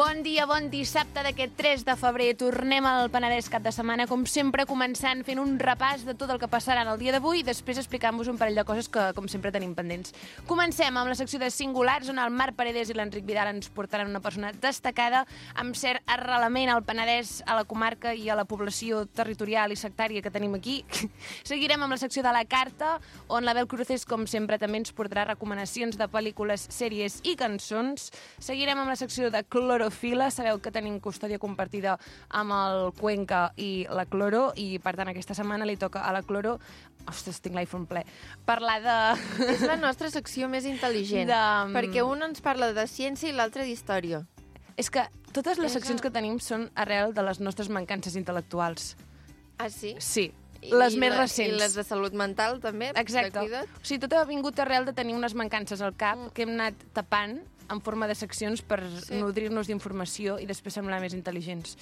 Bon dia, bon dissabte d'aquest 3 de febrer. Tornem al Penedès cap de setmana, com sempre, començant fent un repàs de tot el que passarà en el dia d'avui i després explicant-vos un parell de coses que, com sempre, tenim pendents. Comencem amb la secció de Singulars, on el Marc Paredes i l'Enric Vidal ens portaran una persona destacada amb cert arrelament al Penedès, a la comarca i a la població territorial i sectària que tenim aquí. Seguirem amb la secció de La Carta, on l'Abel Cruces, com sempre, també ens portarà recomanacions de pel·lícules, sèries i cançons. Seguirem amb la secció de Clorofila. Sabeu que tenim custòdia compartida amb el Cuenca i la Cloro, i per tant aquesta setmana li toca a la Cloro, ostres, tinc l'iPhone ple, parlar de... És la nostra secció més intel·ligent, perquè un ens parla de ciència i l'altre d'història. És que totes les seccions que tenim són arrel de les nostres mancances intel·lectuals. Ah, sí? Sí. Les més recents. I les de salut mental, també? Exacte. O sigui, tot ha vingut arrel de tenir unes mancances al cap que hem anat tapant en forma de seccions per nodrir-nos d'informació i després semblar més intel·ligents.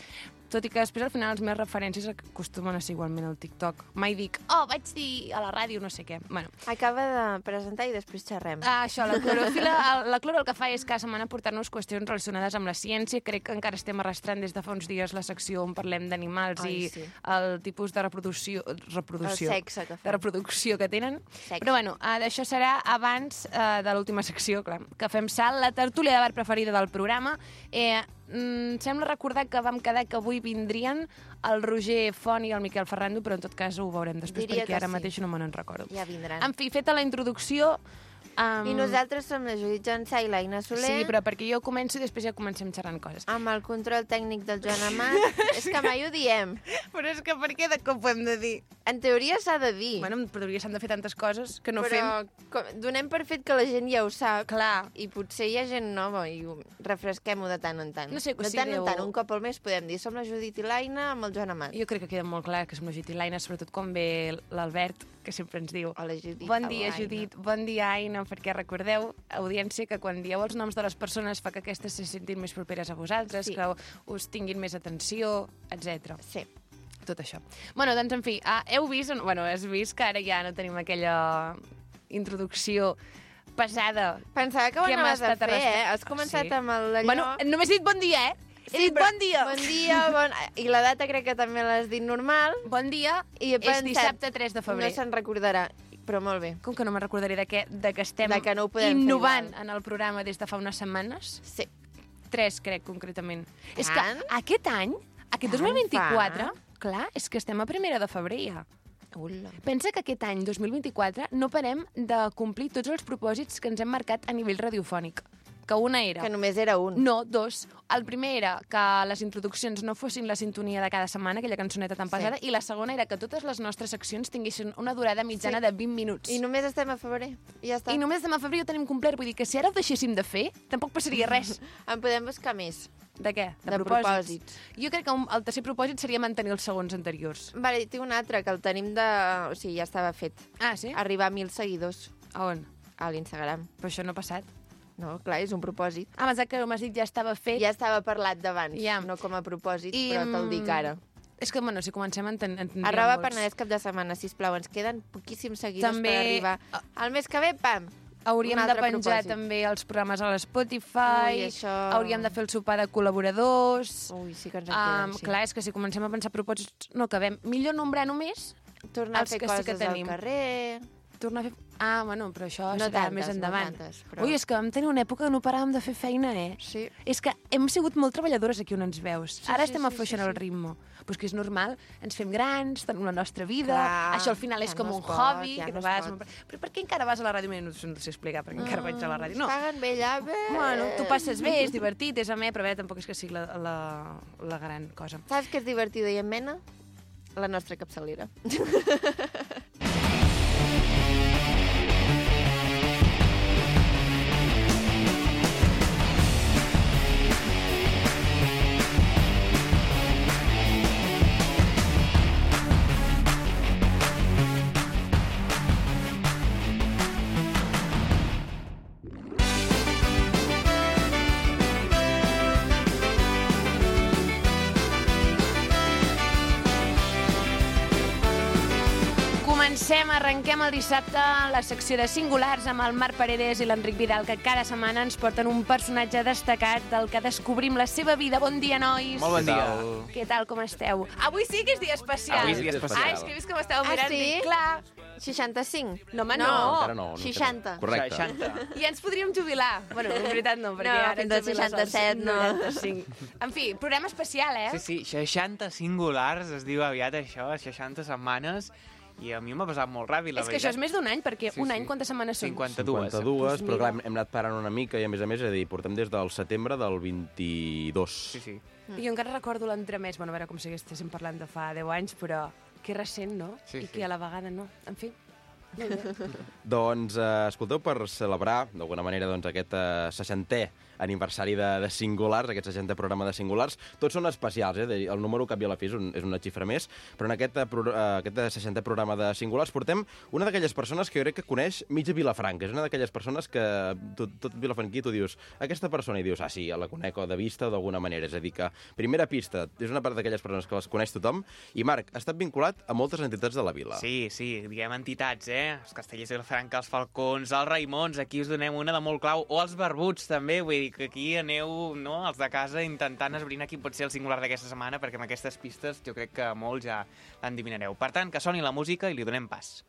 Tot i que després, al final, les meves referències acostumen a ser igualment al TikTok. Mai dic, vaig dir a la ràdio no sé què. Bueno. Acaba de presentar i després xerrem. Això, la clorofila, la Cloro el que fa és cada setmana portar-nos qüestions relacionades amb la ciència. Crec que encara estem arrastrant des de fa uns dies la secció on parlem d'animals i el tipus de reproducció. El sexe que fa. De reproducció que tenen. Sexe. Però bueno, això serà abans de l'última secció, clar, que fem salt, la tertúlia de bar preferida del programa. Sembla recordar que vam quedar que avui vindrien el Roger Font i el Miquel Ferrando, però en tot cas ho veurem després, perquè ara mateix no me n'en recordo. Ja vindran. En fi, feta la introducció... I nosaltres som la Judit Jansà i l'Aina Soler. Sí, però perquè jo començo i després ja comencem xerrant coses. Amb el control tècnic del Joan Amat. És que mai ho diem. Però és que per què de cop ho hem de dir? En teoria s'ha de dir. Bueno, en teoria s'han de fer tantes coses que no fem. Però donem per fet que la gent ja ho sap. Clar. I potser hi ha gent nova i refresquem-ho de tant en tant. No sé, de tant en tant, un cop al mes podem dir som la Judit i l'Aina amb el Joan Amat. Jo crec que queda molt clar que som la Judit i l'Aina, sobretot quan ve l'Albert, que sempre ens diu Hola, Judit, bon dia, Judit, bon dia, Aina, perquè recordeu, audiència, que quan dieu els noms de les persones fa que aquestes se sentin més properes a vosaltres, que us tinguin més atenció, etc. Sí. Tot això. Bueno, doncs, en fi, heu vist, has vist que ara ja no tenim aquella introducció pesada. Pensava que ho anaves a fer, Has començat amb allò... Bueno, només he dit bon dia, He dit bon dia. Bon dia, i la data crec que també l'has dit normal. Bon dia, i he pensat, és dissabte 3 de febrer. No se'n recordarà, però molt bé. Com que no me'n recordaré de que estem no innovant en el programa des de fa unes setmanes? Sí. 3, crec, concretament. Tant? És que aquest any, aquest 2024, clar, és que estem a 1 de febrer ja. Ula. Pensa que aquest any, 2024, no parem de complir tots els propòsits que ens hem marcat a nivell radiofònic. Que una era... Que només era un. No, 2. El primer era que les introduccions no fossin la sintonia de cada setmana, aquella cançoneta tan pesada, i la segona era que totes les nostres seccions tinguessin una durada mitjana de 20 minuts. I només estem a febrer, i ja està. I només estem a febrer i ho tenim complert, vull dir que si ara ho deixéssim de fer, tampoc passaria res. En podem buscar més. De què? De propòsits. Jo crec que el tercer propòsit seria mantenir els segons anteriors. Vale, tinc un altre, que el tenim de... O sigui, ja estava fet. Ah, sí? Arribar a 1.000 seguidors. A on? A l'Instagram. Però això no ha passat. No, clar, és un propòsit. Pensava que m'has dit ja estava fet. Ja estava parlat d'abans, no com a propòsit, però te'l dic ara. És que, si comencem en tindríem Arroba Penedès cap de setmana, sisplau. Ens queden poquíssims seguidors per arribar. El mes que ve, pam! Hauríem de penjar també els programes a l'Spotify. Hauríem de fer el sopar de col·laboradors. Ui, sí que ens en queden, sí. Clar, és que si comencem a pensar propòsits no acabem. Millor nombrar només tornar a fer coses al carrer... Tornar a fer... però això serà més endavant. No tantes, però... Ui, és que vam tenir una època que no paràvem de fer feina, Sí. És que hem sigut molt treballadores aquí on ens veus. Ara estem afluixant el ritme. Però és que és normal, ens fem grans, tenim la nostra vida, això al final és com un hobby. Però per què encara vas a la ràdio? No sé explicar per què encara vaig a la ràdio. No. Paguen bé allà, bé. Bueno, tu passes bé, és divertit, és amè, però bé, tampoc és que sigui la gran cosa. Saps què és divertida i amena? La nostra capçalera. Arrenquem el dissabte la secció de Singulars amb el Marc Paredes i l'Enric Vidal, que cada setmana ens porten un personatge destacat del que descobrim la seva vida. Bon dia, nois. Molt bon dia. Què tal, com esteu? Avui sí que és dia especial. Avui és dia especial. És que he vist que m'estàveu mirant. sí? Dic, clar. 65. No, home, no. Encara no. 60. Correcte. 60. I ens podríem jubilar. Bueno, en veritat no, perquè No, ara fins als 67 no. 95. En fi, programa especial, eh? Sí, 60 singulars, es diu aviat això, 60 setmanes, i a mi m'ha passat molt ràpid, la És que això és més d'un any, perquè un any quantes setmanes són? 52. 52, però clar, mira. hem anat parant una mica i a més, és a dir, portem des del setembre del 22. Sí. Jo encara recordo l'entremès, bueno, a veure com si estéssim parlant de fa 10 anys, però que recent, no? Sí, I que a la vegada no. En fi. Doncs, escolteu, per celebrar, d'alguna manera, doncs, aquest 60è aniversari de Singulars, aquest 60è programa de Singulars, tots són especials, el número cap i a la fi és una xifra més, però en aquest 60è programa de Singulars portem una d'aquelles persones que jo crec que coneix mitja Vilafranca, és una d'aquelles persones que tot vilafranquí tu dius, aquesta persona, i dius, sí, la conec o de vista o d'alguna manera, és a dir que, primera pista, és una part d'aquelles persones que les coneix tothom, i Marc, ha estat vinculat a moltes entitats de la vila. Sí, diguem entitats, els Castellers de Vilafranca, els Falcons, els Raimons, aquí us donem una de molt clau, o els Barbuts també, vull dir que aquí aneu, no, els de casa, intentant esbrinar quin pot ser el singular d'aquesta setmana, perquè amb aquestes pistes jo crec que molts ja l'endivinareu. Per tant, que soni la música i li donem pas.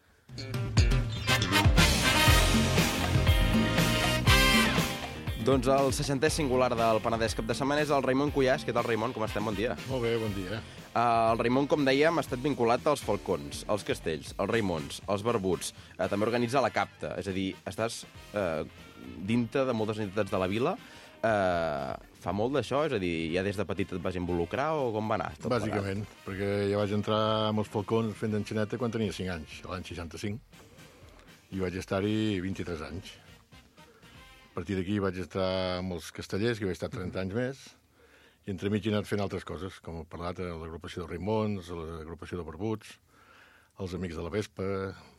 Doncs el 60è singular del Penedès cap de setmana és el Raimon Cuyàs. Què tal, Raimon? Com estem? Bon dia. Molt bé, bon dia. El Raimon, com dèiem, ha estat vinculat als Falcons, als Castells, als Raimons, als Barbuts. També organitza la Capta, és a dir, estàs dintre de moltes entitats de la vila. Fa molt d'això? És a dir, ja des de petit et vas involucrar o com va anar? Bàsicament, perquè ja vaig entrar amb els Falcons fent d'enxaneta quan tenia 5 anys, l'any 65, i vaig estar-hi 23 anys. A partir d'aquí vaig estar amb els Castellers, que vaig estar 30 anys més, i entremig he anat fent altres coses, com he parlat, l'agrupació de Raimons, l'agrupació de Barbuts, els Amics de la Vespa,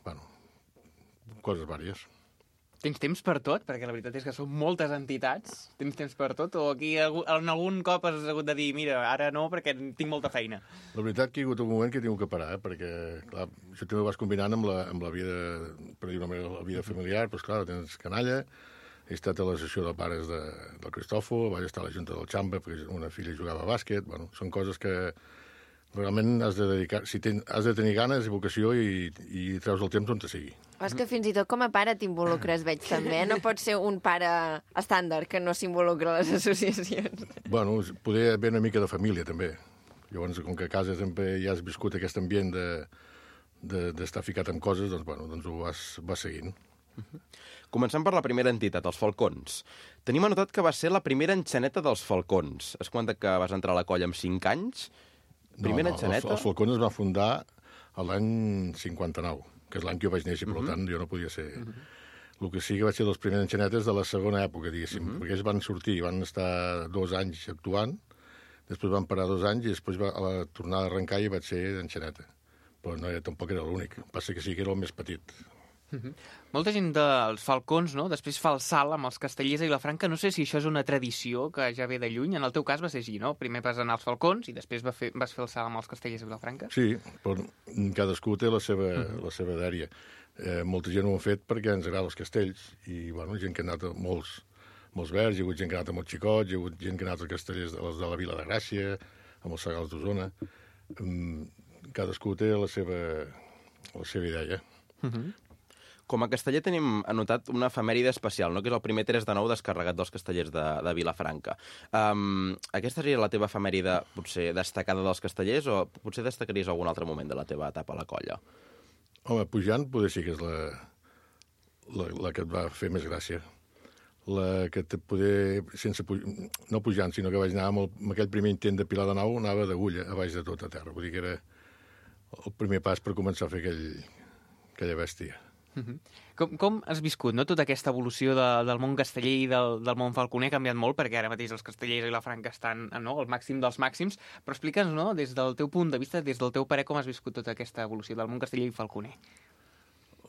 bueno, coses vàries. Tens temps per tot? Perquè la veritat és que són moltes entitats. Tens temps per tot? O aquí en algun cop has hagut de dir, mira, ara no, perquè tinc molta feina? La veritat que hi ha hagut un moment que he tingut que parar, perquè, clar, això també ho vas combinant amb la vida, per dir una manera, la vida familiar, doncs, clar, tens canalla. He estat a l'associació de pares del Cristòfol, vaig estar a la Junta del Xampa, perquè una filla jugava a bàsquet. Bueno, són coses que realment has de dedicar... has de tenir ganes i vocació i treus el temps on te sigui. És que fins i tot com a pare t'involucres, veig també. No pots ser un pare estàndard que no s'involucra a les associacions. Bueno, poder haver una mica de família, també. Llavors, com que a casa sempre ja has viscut aquest ambient d'estar ficat en coses, doncs, bueno, doncs ho vas seguint. Començant per la primera entitat, els Falcons. Tenim anotat que va ser la primera enxaneta dels Falcons. Es compta que vas entrar a la colla amb 5 anys? Primera enxaneta? Els Falcons es va fundar l'any 59, que és l'any que jo vaig néixer, per tant, jo no podia ser... El que sí que vaig ser les primeres enxanetes de la segona època, diguéssim, perquè ells van sortir, van estar 2 anys actuant, després van parar 2 anys i després a la tornada a arrencar i vaig ser d'enxaneta. Però no, tampoc era l'únic, passa que sí que era el més petit. Molta gent dels Falcons, no?, després fa el salt amb els Castellers de Vilafranca. No sé si això és una tradició que ja ve de lluny. En el teu cas va ser així, no? Primer vas anar als Falcons i després vas fer el salt amb els Castellers de Vilafranca? Sí, però cadascú té la seva dèria. Molta gent ho ha fet perquè ens agrada els castells i, bueno, gent que ha anat a molts verds, hi ha hagut gent que ha anat a molts xicots, hi ha hagut gent que ha anat als castellers de la Vila de Gràcia, amb els Sagals d'Osona. Cadascú té la seva idea. Com a casteller tenim anotat una efemèride especial, no? Que és el primer 3 de 9 descarregat dels Castellers de Vilafranca. Aquesta seria la teva efemèride, potser, destacada dels Castellers, o potser destacaries algun altre moment de la teva etapa a la colla? Home, pujant poder sí que és la que et va fer més gràcia. La que poder, no pujant, sinó que vaig anar amb aquell primer intent de pilar de nau, anava d'agulla, a baix de tot a terra. Vull dir que era el primer pas per començar a fer aquella bèstia. Com has viscut, no, tota aquesta evolució del món casteller i del món falconer? Ha canviat molt, perquè ara mateix els Castellers i Vilafranca estan al màxim dels màxims, però explica'ns, no, des del teu punt de vista, des del teu parer, com has viscut tota aquesta evolució del món casteller i falconer?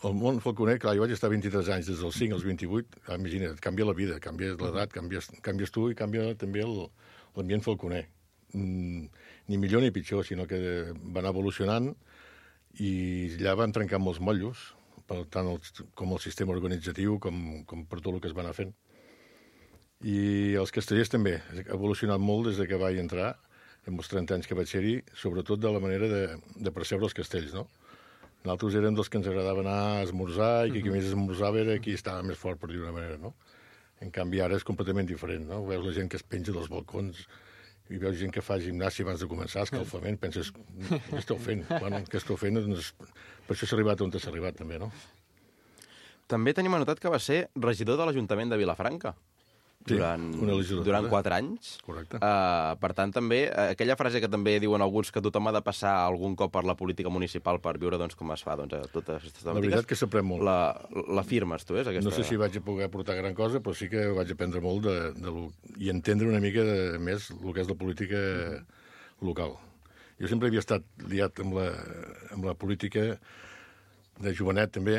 El món falconer, clar, jo vaig estar 23 anys, des dels 5 als 28, imagina't, canvia la vida, canvia l'edat, canvies tu i canvia també l'ambient falconer. Ni millor ni pitjor, sinó que va anar evolucionant i allà van trencar molts motllos, tant com el sistema organitzatiu com per tot el que es va anar fent. I els castellers també. Ha evolucionat molt des que vaig entrar, amb els 30 anys que vaig ser-hi, sobretot de la manera de percebre els castells, no? Nosaltres érem dels que ens agradava anar a esmorzar i que qui més esmorzava era qui estava més fort, per dir una manera, no? En canvi, ara és completament diferent, no? Veus la gent que es penja dels balcons i veus gent que fa gimnàsia abans de començar, escalfament, penses, què esteu fent? Bueno, què esteu fent? Doncs, per això s'ha arribat on s'ha arribat, també, no? També tenim anotat que va ser regidor de l'Ajuntament de Vilafranca. Sí, Durant 4 anys. Correcte. Per tant, també, aquella frase que també diuen alguns que tothom ha de passar algun cop per la política municipal per viure com es fa a totes aquestes temàtiques. La veritat que s'aprèn molt. La firmes, tu, és aquesta? No sé si vaig a poder aportar gran cosa, però sí que vaig aprendre molt i entendre una mica més el que és la política local. Jo sempre havia estat liat amb la política de jovenet, també,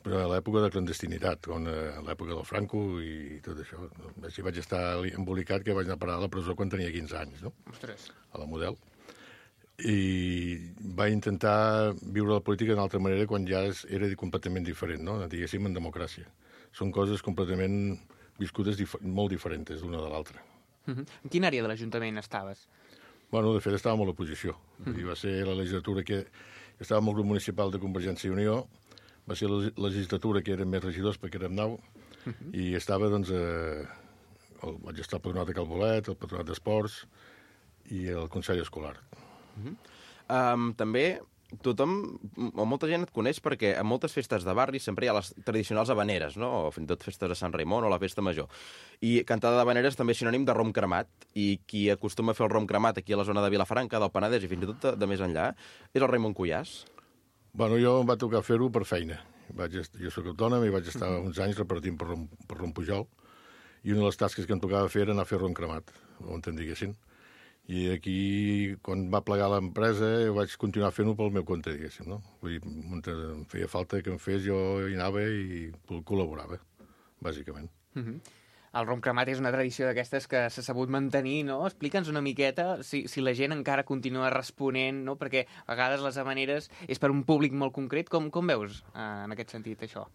però a l'època de clandestinitat, a l'època del Franco i tot això. Així vaig estar embolicat que vaig anar a parar a la presó quan tenia 15 anys, no? Ostres. A la Model. I vaig intentar viure la política d'una altra manera quan ja era completament diferent, no? Diguéssim, en democràcia. Són coses completament viscudes molt diferents l'una de l'altra. En quina àrea de l'Ajuntament estaves? Bueno, de fet, estava molt a l'oposició. I va ser la legislatura que estava en el grup municipal de Convergència i Unió. Va ser la legislatura que eren més regidors perquè érem 9, i estava, doncs, vaig estar al Patronat de Calbolet, al Patronat d'Esports i al Consell Escolar. També tothom, o molta gent et coneix perquè a moltes festes de barri sempre hi ha les tradicionals habaneres, no? O fins i tot festes de Sant Raimon o la festa major. I cantada d'habaneres també és sinònim de rom cremat, i qui acostuma a fer el rom cremat aquí a la zona de Vilafranca, del Penedès i fins i tot de més enllà, és el Raimon Cuyàs. Bueno, jo em va tocar fer-ho per feina. Jo soc autònom i vaig estar uns anys repartint per Rom Pujol, i una de les tasques que em tocava fer era anar a fer rom cremat, on en diguessin. I aquí, quan va plegar l'empresa, vaig continuar fent-ho pel meu compte, diguéssim, no? Vull dir, em feia falta que em fes, jo hi anava i col·laborava, bàsicament. El rom cremat és una tradició d'aquestes que s'ha sabut mantenir, no? Explica'ns una miqueta si la gent encara continua responent, no? Perquè a vegades les habaneres és per un públic molt concret. Com veus en aquest sentit, això?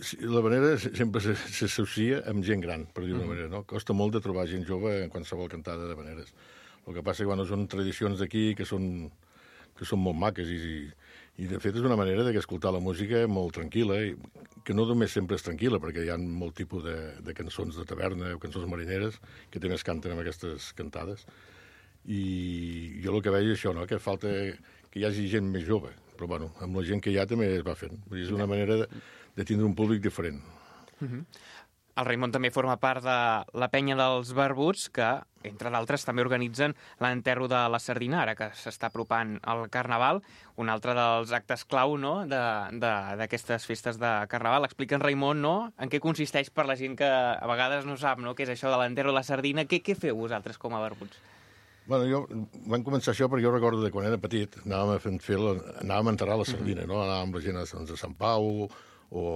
Sí, l'habanera sempre s'associa amb gent gran, per dir-ho d'una manera, no? Costa molt de trobar gent jove en qualsevol cantada d'habaneres. El que passa que, bueno, són tradicions d'aquí que són molt maques i de fet és una manera d'escoltar la música molt tranquil·la, que no només sempre és tranquil·la, perquè hi ha molt tipus de cançons de taverna o cançons marineres que també es canten amb aquestes cantades. I jo el que veig és això, no? Que falta que hi hagi gent més jove, però bueno, amb la gent que hi ha també es va fent. És una manera de tindre un públic diferent. El Raimon també forma part de la penya dels Barbuts, que, entre d'altres, també organitzen l'enterro de la sardina, ara que s'està apropant el Carnaval, un altre dels actes clau, no?, d'aquestes festes de Carnaval. Explica'ns, Raimon, no?, en què consisteix per la gent que a vegades no sap, no?, què és això de l'enterro de la sardina. Què feu vosaltres com a Barbuts? Bueno, vam començar això perquè jo recordo que quan era petit anàvem a enterrar la sardina, no? Anàvem amb la gent a Sant Pau o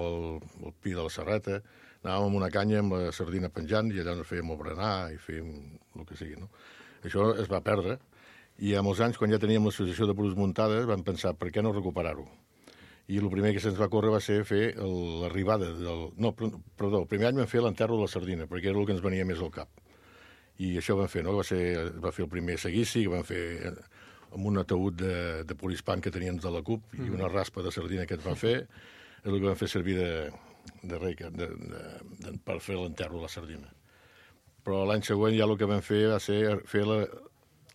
al Pi de la Serreta, anàvem amb una canya amb la sardina penjant i allà ens fèiem el berenar i fèiem el que sigui, no? Això es va perdre i amb els anys, quan ja teníem l'associació de Bruts muntades, vam pensar per què no recuperar-ho. I el primer que se'ns va córrer va ser fer l'arribada del... No, perdó, el primer any vam fer l'enterro de la sardina, perquè era el que ens venia més al cap. I això vam fer, no? Va fer el primer seguici, que vam fer amb un ataúd de polispant que teníem de la CUP i una raspa de sardina que ens van fer, és el que vam fer servir per fer l'enterro de la sardina. Però l'any següent ja el que vam fer va ser fer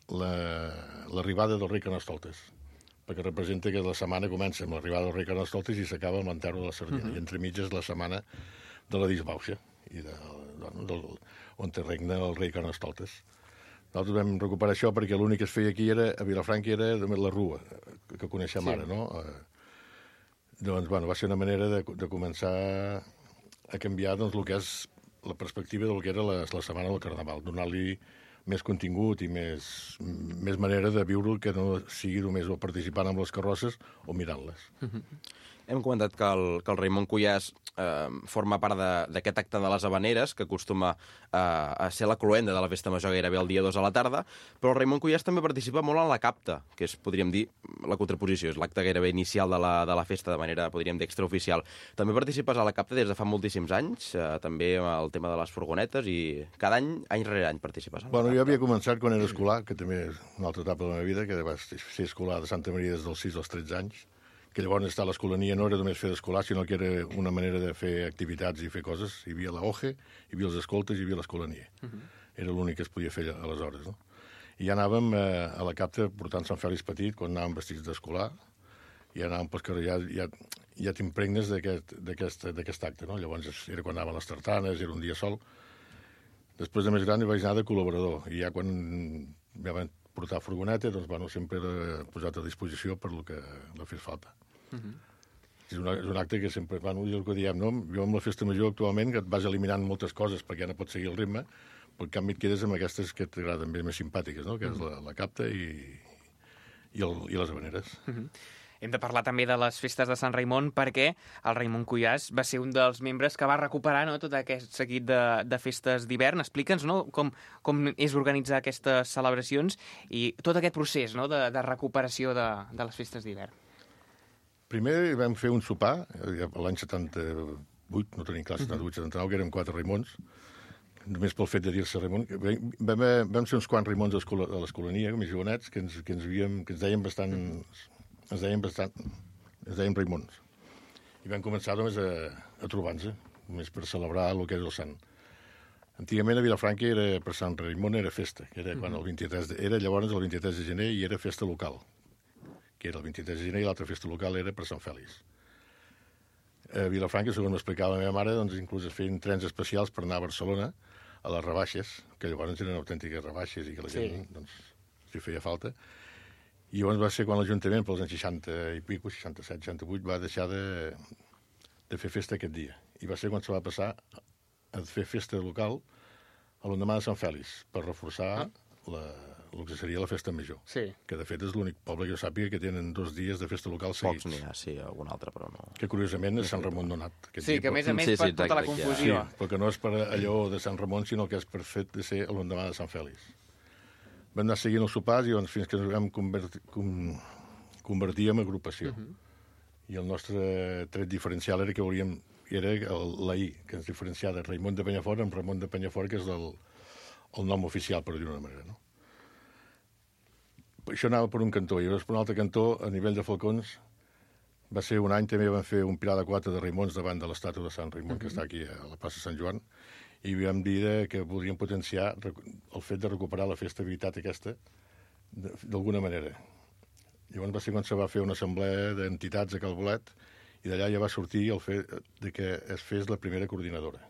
l'arribada del rei Carnestoltes, perquè representa que la setmana comença amb l'arribada del rei Carnestoltes i s'acaba amb l'enterro de la sardina, i entremig és la setmana de la disbauxa, i on regna el rei Carnestoltes. Nosaltres vam recuperar això perquè l'únic que es feia aquí a Vilafranca era la rua, que coneixem ara, no? Doncs, bueno, va ser una manera de començar a canviar, doncs, el que és la perspectiva del que era la setmana del Carnaval, donar-li més contingut i més manera de viure que no sigui només o participant amb les carrosses o mirant-les. Hem comentat que el Raimon Cuyàs forma part d'aquest acte de les Havaneres, que acostuma a ser la cloenda de la festa major gairebé el dia 2 a la tarda, però el Raimon Cuyàs també participa molt en la capta, que és, podríem dir, la contraposició, és l'acte gairebé inicial de la festa de manera, podríem dir, extraoficial. També participes a la capta des de fa moltíssims anys, també amb el tema de les furgonetes, i cada any rere any participes. Bueno, jo havia començat quan era escolar, que també és una altra etapa de la meva vida, que vaig ser escolar de Santa Maria des dels 6 als 13 anys, que llavors estar a l'escolania no era només fer d'escolar, sinó que era una manera de fer activitats i fer coses. Hi havia la OGE, hi havia els escoltes, hi havia l'escolania. Era l'únic que es podia fer aleshores, no? I ja anàvem a la capta portant Sant Fèlix petit, quan anàvem vestits d'escolar, i anàvem pel carrer, ja t'impregnes d'aquest acte, no? Llavors era quan anaven les tartanes, era un dia sol. Després de més gran vaig anar de col·laborador, i ja quan ja van portar furgoneta, doncs, bueno, sempre era posat a disposició per lo que fes falta. És un acte que sempre, bueno, és el que diem, no? Jo amb la festa major actualment que et vas eliminant moltes coses perquè ja no pots seguir el ritme, però en canvi et quedes amb aquestes que t'agraden més simpàtiques, no? Que és la capta i les Havaneres. Hem de parlar també de les festes de Sant Raimon, perquè el Raimon Cuyàs va ser un dels membres que va recuperar, no, tot aquest seguit de festes d'hivern. Explica'ns, no, com és organitzar aquestes celebracions i tot aquest procés, no, de recuperació de les festes d'hivern. Primer vam fer un sopar, l'any 78, no tenim clar, 78-79, que érem 4 Raimons, només pel fet de dir-se Raimon. Vam ser uns quants Raimons a l'escolania, més jovenets, que ens deien Raimons. I vam començar només a trobar-nos, només per celebrar el que és el sant. Antigament a Vilafranca per Sant Raimon era festa, que era quan era llavors el 23 de gener i era festa local, que era el 23 de gener i l'altra festa local era per Sant Fèlix. A Vilafranca, segons m'explicava la meva mare, doncs inclús es feien trens especials per anar a Barcelona a les rebaixes, que llavors eren autèntiques rebaixes i que la gent doncs, s'hi feia falta. I llavors va ser quan l'Ajuntament, pels anys 60 i pico, 67, 68, va deixar de fer festa aquest dia. I va ser quan se va passar a fer festa local a l'endemà de Sant Fèlix, per reforçar el que seria la festa major. Sí. Que, de fet, és l'únic poble que jo sàpiga que tenen 2 dies de festa local seguits. Pocs n'hi ha, sí, algun altre, però no. Que, curiosament, és Sant Ramon Donat. Sí, que a més fa tota la confusió. Sí, però que no és per allò de Sant Ramon, sinó que és per fet de ser l'endemà de Sant Fèlix. Vam anar seguint els sopars i fins que ens vam convertir en agrupació. I el nostre tret diferencial era que era l'A-I, que ens diferenciava de Raimon de Penyafort amb Ramon de Penyafort, que és el nom oficial, per dir-ho d'una manera, no? Això anava per un cantó, i llavors per un altre cantó, a nivell de falcons, va ser un any, també vam fer un pilar de 4 de Raimons davant de l'estàtua de Sant Raimon, que està aquí a la plaça Sant Joan, i vam dir que podríem potenciar el fet de recuperar la festabilitat aquesta d'alguna manera. Llavors va ser quan se va fer una assemblea d'entitats a Calbolet i d'allà ja va sortir el fet de que es fes la primera coordinadora.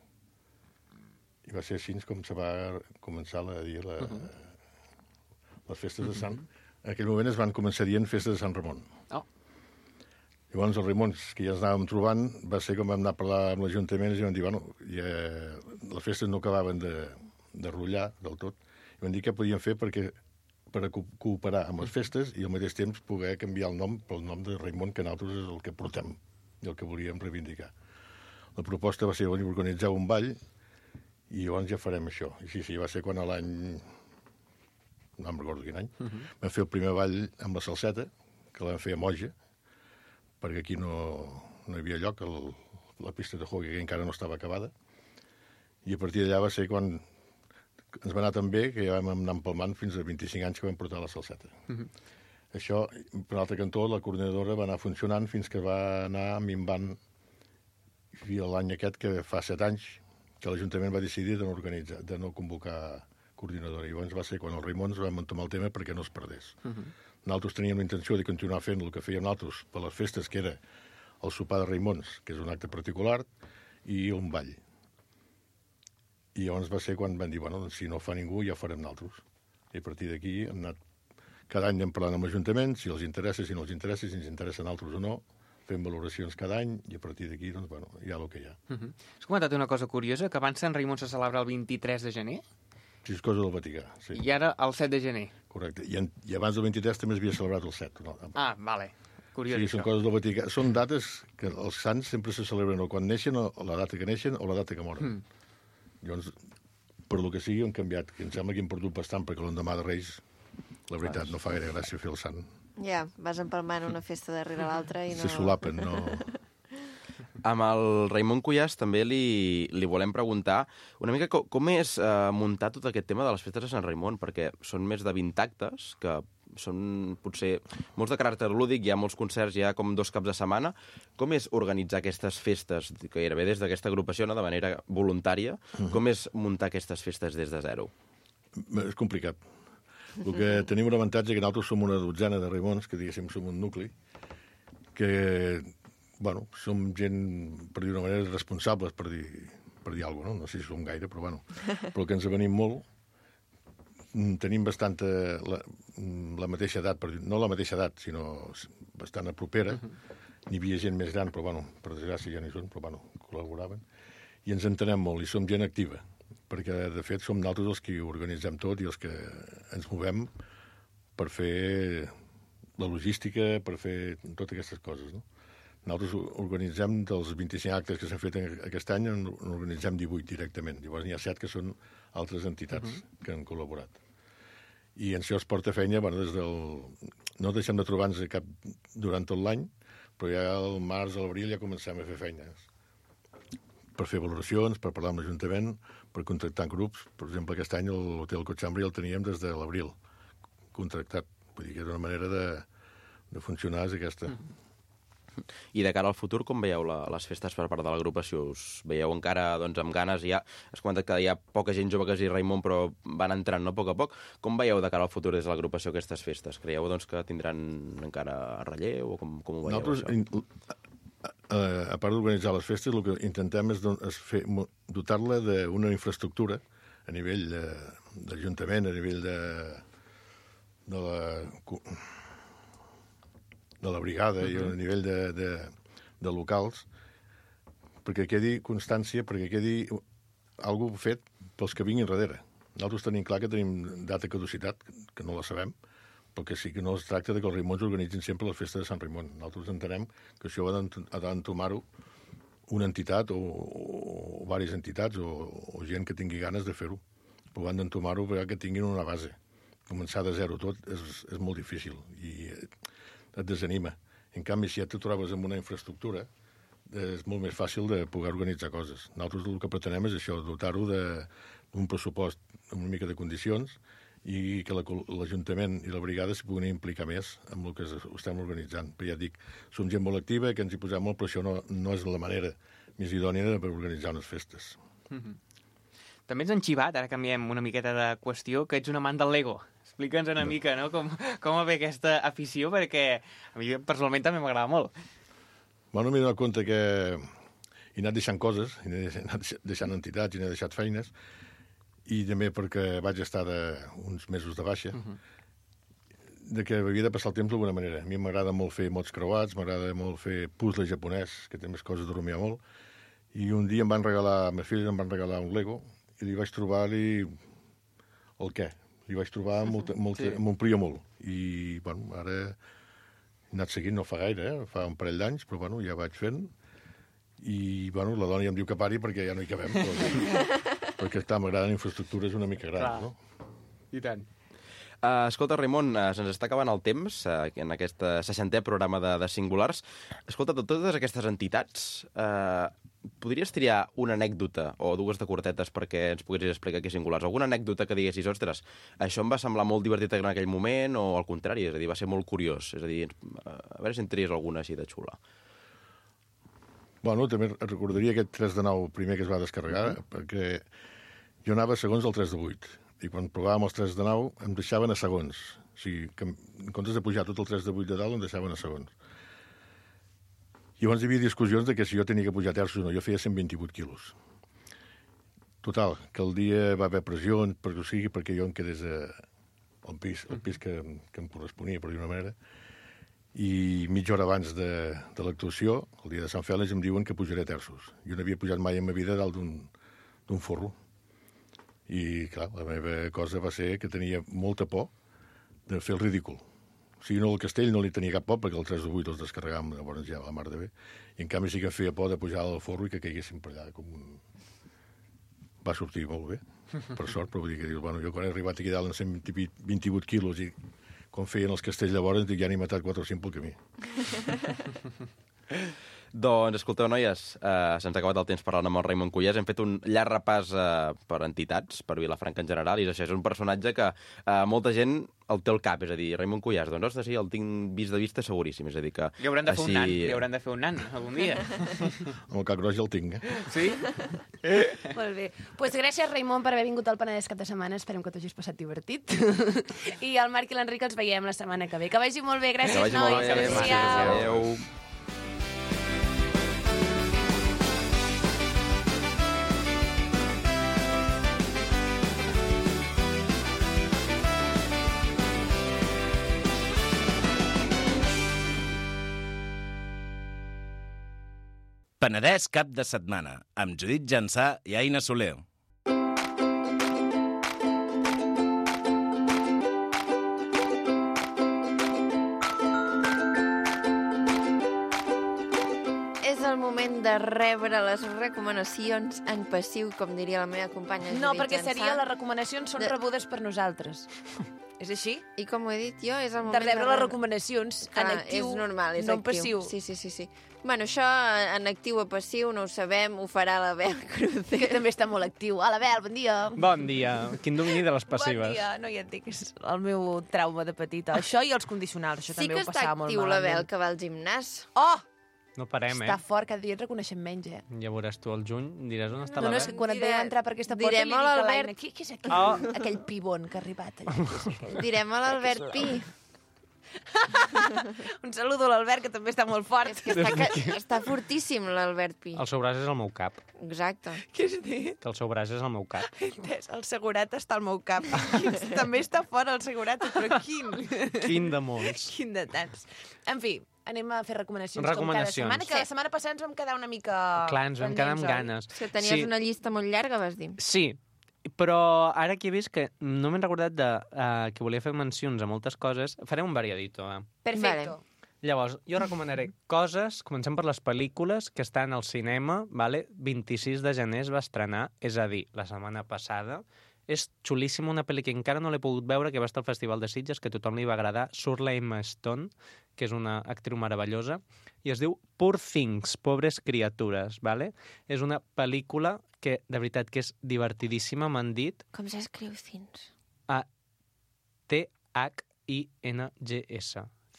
I va ser així com se va començar a dir les festes de Sant... En aquell moment es van començar dient festes de Sant Ramon. Llavors, els Raimons, que ja ens anàvem trobant, va ser com vam anar a parlar amb l'Ajuntament i vam dir, bueno, les festes no acabaven de rotllar del tot, i vam dir què podíem fer per cooperar amb les festes i al mateix temps poder canviar el nom pel nom de Raimon, que nosaltres és el que portem i el que volíem reivindicar. La proposta va ser organitzar un ball i llavors ja farem això. I sí, va ser quan l'any, no em recordo quin any, vam fer el primer ball amb la salseta, que la vam fer a Moja, perquè aquí no hi havia lloc, la pista de hockey encara no estava acabada, i a partir d'allà va ser quan ens va anar tan bé que ja vam anar empalmant fins a 25 anys que vam portar la salseta. Això, per un altre cantó, la coordinadora va anar funcionant fins que va anar minvant i l'any aquest, que fa 7 anys, que l'Ajuntament va decidir de no convocar coordinadora. I llavors va ser quan els Raimons vam entomar el tema perquè no es perdés. Nosaltres teníem la intenció de continuar fent el que fèiem nosaltres per les festes, que era el sopar de Raimons, que és un acte particular, i un ball. I llavors va ser quan van dir, bueno, doncs, si no fa ningú, ja ho farem nosaltres. I a partir d'aquí hem anat... Cada any anem parlant amb l'Ajuntament, si els interessa, si no els interessa, si ens interessa a nosaltres o no, fem valoracions cada any, i a partir d'aquí, doncs, bueno, hi ha el que hi ha. Has comentat una cosa curiosa, que abans Sant Raimon se celebra el 23 de gener, Sí, és cosa del Vaticà, sí. I ara el 7 de gener. Correcte. I abans del 23 també s'havia celebrat el 7. No? Ah, vale. Curiós, Sí, això. són coses del Vaticà. Són dates que els sants sempre se celebren o quan neixen, o la data que neixen, o la data que moren. Llavors, per lo que sigui, han canviat. Que em sembla que hem perdut bastant, perquè l'endemà de Reis, la veritat, no fa gaire gràcia fer el sant. Ja, vas empalmant una festa darrere l'altra i no... Se solapen, no... Amb el Raimon Cuyàs també li volem preguntar una mica com és muntar tot aquest tema de les festes de Sant Raimon, perquè són més de 20 actes, que són potser molts de caràcter lúdic, hi ha molts concerts, hi ha com 2 caps de setmana. Com és organitzar aquestes festes, que gairebé des d'aquesta agrupació, no, de manera voluntària, com és muntar aquestes festes des de zero? És complicat. El que tenim un avantatge que nosaltres som una dotzena de Raimons, que diguéssim som un nucli, que, bueno, som gent, per dir una manera, responsables, per dir alguna cosa, no? No sé si som gaire, però bueno, però que ens avenim molt. Tenim bastanta la mateixa edat, no la mateixa edat, sinó bastant a propera. N'hi havia gent més gran, però bueno, per desgràcia ja n'hi són, però bueno, col·laboraven. I ens entenem molt, i som gent activa, perquè de fet som nosaltres els que organitzem tot i els que ens movem per fer la logística, per fer totes aquestes coses, no? Nosaltres organitzem dels 25 actes que s'han fet aquest any, en organitzem 18 directament. Llavors n'hi ha 7 que són altres entitats que han col·laborat. I en això es porta feina, bueno, no deixem de trobar-nos cap durant tot l'any, però ja al març, a l'abril ja comencem a fer feines. Per fer valoracions, per parlar amb l'Ajuntament, per contractar grups. Per exemple, aquest any l'Hotel Cotxambri el teníem des de l'abril, contractat. Vull dir que era una manera de funcionar és aquesta. I de cara al futur, com veieu les festes per part de l'agrupació? Us veieu encara amb ganes? Ja has comentat que hi ha poca gent jove que es diu Raimon, però van entrant a poc a poc. Com veieu de cara al futur des de l'agrupació aquestes festes? Creieu que tindran encara relleu? O com ho veieu, nosaltres, això? A part d'organitzar les festes, el que intentem és dotar-la d'una infraestructura a nivell d'Ajuntament, a nivell de la brigada i a nivell de locals, perquè quedi constància, perquè quedi alguna cosa fet pels que vinguin darrere. Nosaltres tenim clar que tenim data de caducitat, que no la sabem, perquè sí que no es tracta que els Raimons organitzin sempre les festes de Sant Raimon. Nosaltres entenem que això ha d'entomar-ho una entitat o diverses entitats o gent que tingui ganes de fer-ho. Però han d'entomar-ho perquè tinguin una base. Començar de zero tot és molt difícil i et desanima. En canvi, si ja te trobes amb una infraestructura, és molt més fàcil de poder organitzar coses. Nosaltres el que pretenem és això, dotar-ho d'un pressupost amb una mica de condicions i que l'Ajuntament i la brigada s'hi puguin implicar més amb el que estem organitzant. Però ja dic, som gent molt activa, que ens hi posem molt, però això no és la manera més idònia per organitzar unes festes. També ens han xivat, ara canviem una miqueta de qüestió, que ets un amant del Lego. Explica'ns una mica, no?, com va bé aquesta afició, perquè a mi personalment també m'agrada molt. Bueno, m'he donat compte que he anat deixant coses, he anat deixant entitats, he deixat feines, i també perquè vaig estar uns mesos de baixa, de que havia de passar el temps d'alguna manera. A mi m'agrada molt fer mots creuats, m'agrada molt fer puzzle japonès, que té més coses de rumiar molt, i un dia meus fills em van regalar un Lego, i li vaig trobar el què. Li vaig trobar m'omplia molt. I, bueno, ara he anat seguint, no fa gaire, fa un parell d'anys, però, bueno, ja vaig fent. I, bueno, la dona ja em diu que pari perquè ja no hi cabem. Perquè, clar, m'agraden infraestructures una mica grans, no? I tant. Escolta, Raimon, se'ns està acabant el temps en aquest 60è programa de Singulars. Escolta, de totes aquestes entitats, podries triar una anècdota o dues de curtetes perquè ens poguessis explicar aquí a Singulars? Alguna anècdota que diguessis, ostres, això em va semblar molt divertit en aquell moment, o al contrari, és a dir, va ser molt curiós. És a dir, a veure si en tries alguna així de xula. Bueno, també recordaria aquest 3 de 9 primer que es va descarregar, perquè jo anava segons del 3 de 8. I quan provàvem els 3 de 9 em deixaven a segons. O sigui, que en comptes de pujar tot el 3 de 8 de dalt, em deixaven a segons. I llavors hi havia discussions de que si jo tenia que pujar terços o no. Jo feia 128 quilos. Total, que el dia va haver pressions, perquè jo em quedés al pis que em corresponia, per dir una manera, i mitja hora abans de l'actuació, el dia de Sant Fèlix, em diuen que pujaré terços. Jo no havia pujat mai en ma vida dalt d'un forro. I, clar, la meva cosa va ser que tenia molta por de fer el ridícul. O sigui, no, el castell no li tenia cap por, perquè el 3 de 8 els descarregàvem, llavors ja la mar de bé. I, en canvi, sí que em feia por de pujar al forro i que caiguéssim per allà com un... Va sortir molt bé, per sort, però vull dir que dius, bueno, jo quan he arribat aquí dalt en 128 quilos i quan feien els castells llavors ja n'he matat 4 o 5 pel camí. Doncs, escolteu, noies, se'ns ha acabat el temps parlant amb el Raimon Cuyàs. Hem fet un llarg repàs per entitats, per Vilafranca en general, i això és un personatge que molta gent el té al cap, és a dir, Raimon Cuyàs, doncs, ostres, sí, el tinc vist de vista seguríssim, és a dir que... Li hauran de fer un nan, li hauran de fer un nan algun dia. Amb el cap gros ja el tinc, Sí? Molt bé. Pues gràcies, Raimon, per haver vingut al Penedès cap de setmana. Esperem que t'ho hagis passat divertit. I el Marc i l'Enric els veiem la setmana que ve. Que vagi molt bé. Gràcies, Que vagi molt nois. bé. Adéu-siau. Adéu. Penedès cap de setmana, amb Judit Jansà i Aina Soler. És el moment de rebre les recomanacions en passiu, com diria la meva companya Judit No, perquè Jansà. seria les recomanacions són rebudes per nosaltres. És així? I com ho he dit jo, és el De moment rebre les recomanacions en Clar, actiu, és normal, és no en actiu. passiu. Sí. Bueno, això en actiu o passiu no ho sabem, ho farà la Bel Crucer. Que també està molt actiu. Hola, Bel, bon dia. Bon dia. Quin domini de les passives. Bon dia. No, ja et dic, és el meu trauma de petita. Això i els condicionals, això Sí també que ho està passava molt actiu la malament. Bel, que va al gimnàs. Oh! No parem, Està fort, cada dia et reconeixem menys, Ja veuràs tu al juny, diràs on està No, la és que quan et Diré- veia entrar per aquesta porta direm li dic a a l'Albert- l'Aina, qui és aquell, Oh. aquell pibon que ha arribat allà? Direm a l'Albert Pi. Un saludo a l'Albert, que també està molt fort. És que està fortíssim, l'Albert Pi. El seu braç és el meu cap. Exacte. Què has dit? Que el seu braç és el meu cap. Entès, el segurat està al meu cap. També està fora el segurat, però quin? Quin de molts. Quin de tants. En fi, anem a fer recomanacions, Recomanacions. com cada setmana, que la setmana passada ens vam quedar una mica... Clar, ens vam quedar amb pendents, oi? ganes. És que tenies una llista molt llarga, vas dir. Sí, però ara que he vist que no m'he recordat que volia fer mencions a moltes coses, farem un variadito. Perfecto. Llavors, jo recomanaré coses, comencem per les pel·lícules que estan al cinema, vale? 26 de gener es va estrenar, és a dir, la setmana passada. És xulíssima, una pel·li que encara no l'he pogut veure, que va estar al Festival de Sitges, que a tothom li va agradar. Surt la Emma Stone, que és una actriu meravellosa, i es diu Poor Things, Pobres Criatures, vale? És una pel·lícula que, de veritat, que és divertidíssima, m'han dit, Com s'escriu Things? Things.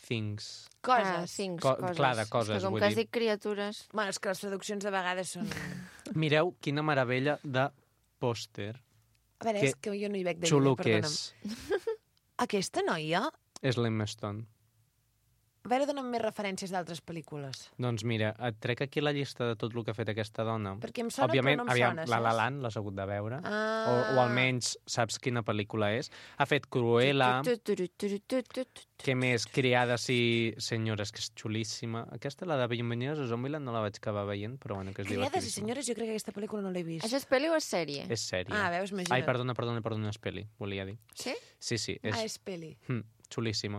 Things. Coses. Things, Co- coses. clar, de coses, És que com vull que has dir. dit criatures... Bueno, és que les traduccions de vegades són... Mireu quina meravella de pòster. A veure, Que és que jo no hi veig de Xulo lluny, que perdona'm. és. Aquesta noia? És l'Emma Stone. A veure, dona'm més referències d'altres pel·lícules. Doncs mira, et trec aquí la llista de tot el que ha fet aquesta dona. Perquè em sona, Òbviament, però no em aviam, sona, La La saps? Land l'has hagut de veure. Ah. O almenys saps quina pel·lícula és. Ha fet Cruella, que més, Criades i Senyores, que és xulíssima. Aquesta, la de Bienvenidos a Zombieland, no la vaig acabar veient, però bueno, que és Criades i divertidíssima. senyores, jo crec que aquesta pel·lícula no l'he vist. Això és pel·li o és sèrie? És sèrie. Ah, veus, imagina't. Ai, perdona, és pel·li, volia dir. Sí? Sí, és... Ah, és pel·li. Xulíssima.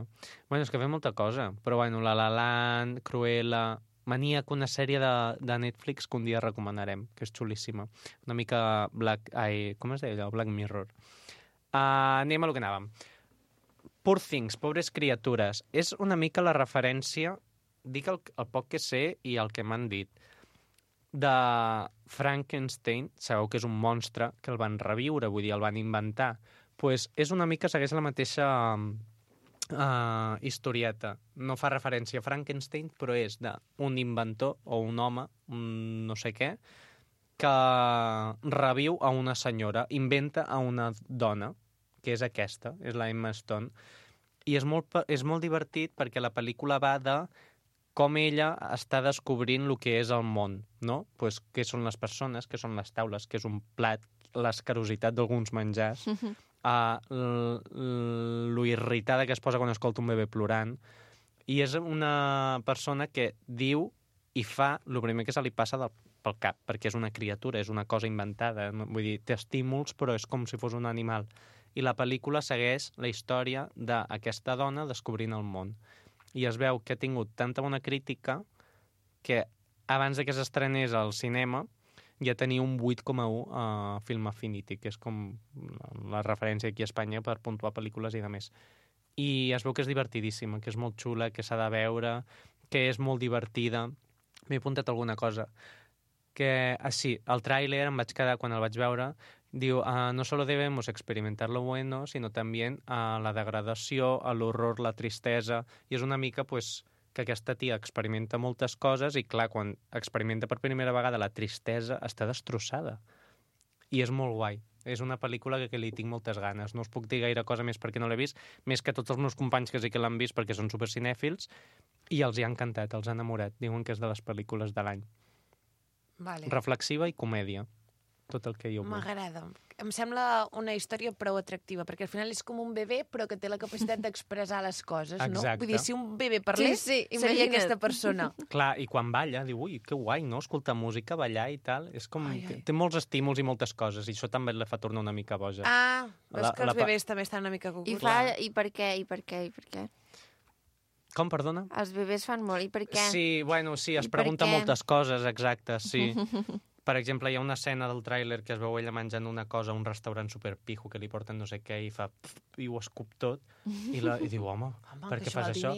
Bueno, és que fem molta cosa, però bueno, La La Land, Cruella, Maníac, una sèrie de Netflix que un dia recomanarem, que és xulíssima. Una mica com es deia allò? Black Mirror. Anem a lo que anàvem. Poor Things, Pobres Criatures. És una mica la referència, dic el poc que sé i el que m'han dit, de Frankenstein, sabeu que és un monstre que el van reviure, vull dir, el van inventar. Pues és una mica, segueix la mateixa historieta. No fa referència a Frankenstein, però és d'un inventor o un home, un no sé què, que reviu a una senyora, inventa a una dona, que és aquesta, és la Emma Stone, i és molt divertit perquè la pel·lícula va de com ella està descobrint el que és el món, no? Pues, què són les persones, què són les taules, què és un plat, l'escarositat d'alguns menjars, lo irritada que es posa quan escolta un bebè plorant, i és una persona que diu i fa el primer que se li passa pel cap, perquè és una criatura, és una cosa inventada. Vull dir, té estímuls, però és com si fos un animal. I la pel·lícula segueix la història d'aquesta dona descobrint el món. I es veu que ha tingut tanta bona crítica que abans que s'estrenés al cinema ja tenia un 8,1 a Film Affinity, que és com la referència aquí a Espanya per puntuar pel·lícules i de més. I es veu que és divertidíssima, que és molt xula, que s'ha de veure, que és molt divertida. M'he apuntat alguna cosa. Que, sí, el tràiler em vaig quedar quan el vaig veure, diu, no solo debemos experimentar lo bueno, sino también la degradació, l'horror, la tristesa, i és una mica, pues, que aquesta tia experimenta moltes coses i, clar, quan experimenta per primera vegada la tristesa, està destrossada. I és molt guai. És una pel·lícula que li tinc moltes ganes. No us puc dir gaire cosa més perquè no l'he vist, més que tots els meus companys que sí que l'han vist perquè són supercinèfils, i els hi ha encantat, els ha enamorat. Diuen que és de les pel·lícules de l'any. Vale. Reflexiva i comèdia. Tot el que jo vull. M'agrada. Em sembla una història prou atractiva, perquè al final és com un bebè, però que té la capacitat d'expressar les coses, no? Exacte. Vull dir, si un bebè parlés, Sí, seria imagina't. aquesta persona. Clar, i quan balla, diu, ui, que guai, no? Escoltar música, ballar i tal. És com... Té molts estímuls i moltes coses, i això també la fa tornar una mica boja. Veus que els bebès també estan una mica cucuts. I per què? Com, perdona? Els bebès fan molt, i per què? Sí, bueno, sí, es I per pregunta què? moltes coses, exacte, sí. Per exemple, hi ha una escena del tràiler que es veu ella menjant una cosa a un restaurant superpijo que li porten no sé què i fa i ho escup tot i diu, home, per què fas això?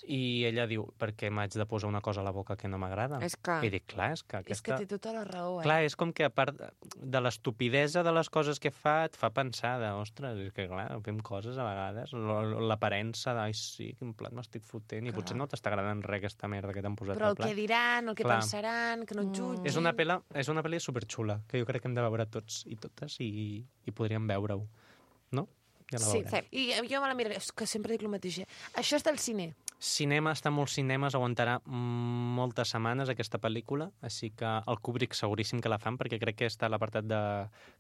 I ella diu, perquè m'haig de posar una cosa a la boca que no m'agrada. És clar. I dic, clar, és que aquesta... És que té tota la raó, Clar, és com que a part de l'estupidesa de les coses que fa, et fa pensar de, ostres, és que clar, fem coses a vegades, l'aparença de, ai sí, quin plat m'estic fotent, i potser no t'està agradant res aquesta merda que t'han posat Però al el que plat. diran, el que Clar. pensaran, que no et jutgin... És una pel·li superxula, que jo crec que hem de veure tots i totes i podríem veure-ho. No? Ja la veurem. I jo me la miraré, és que sempre dic el mateix. Això és del cine. Cinema, està en molts cinemes, aguantarà moltes setmanes aquesta pel·lícula, així que el Kubrick seguríssim que la fan, perquè crec que està a l'apartat de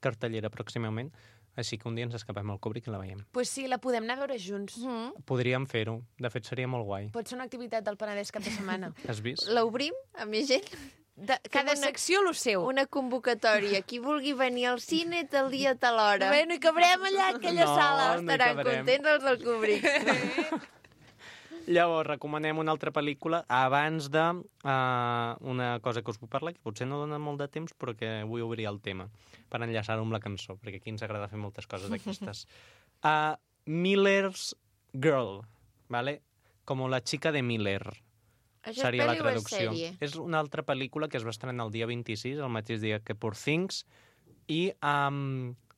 cartellera pròximament, així que un dia ens escapem al Kubrick i la veiem. Pues sí, la podem anar a veure junts. Podríem fer-ho, de fet seria molt guai. Pot ser una activitat del Penedès cap de setmana. Has vist? L'obrim a més gent? Cada secció lo seu. Una convocatòria. Qui vulgui venir al cine tal dia, tal hora. Bueno, i cabrem allà en aquella sala. no hi Estaran cabrem. contents els del Kubrick. Llavors, recomanem una altra pel·lícula abans de una cosa que us vull parlar, que potser no dona molt de temps, però que vull obrir el tema, per enllaçar-ho amb la cançó, perquè aquí ens agrada fer moltes coses d'aquestes. Miller's Girl, ¿vale? Com la chica de Miller. Això Seria és la pel·li o és traducció. sèrie? És una altra pel·lícula que es va estrenar el dia 26, el mateix dia que Poor Things, i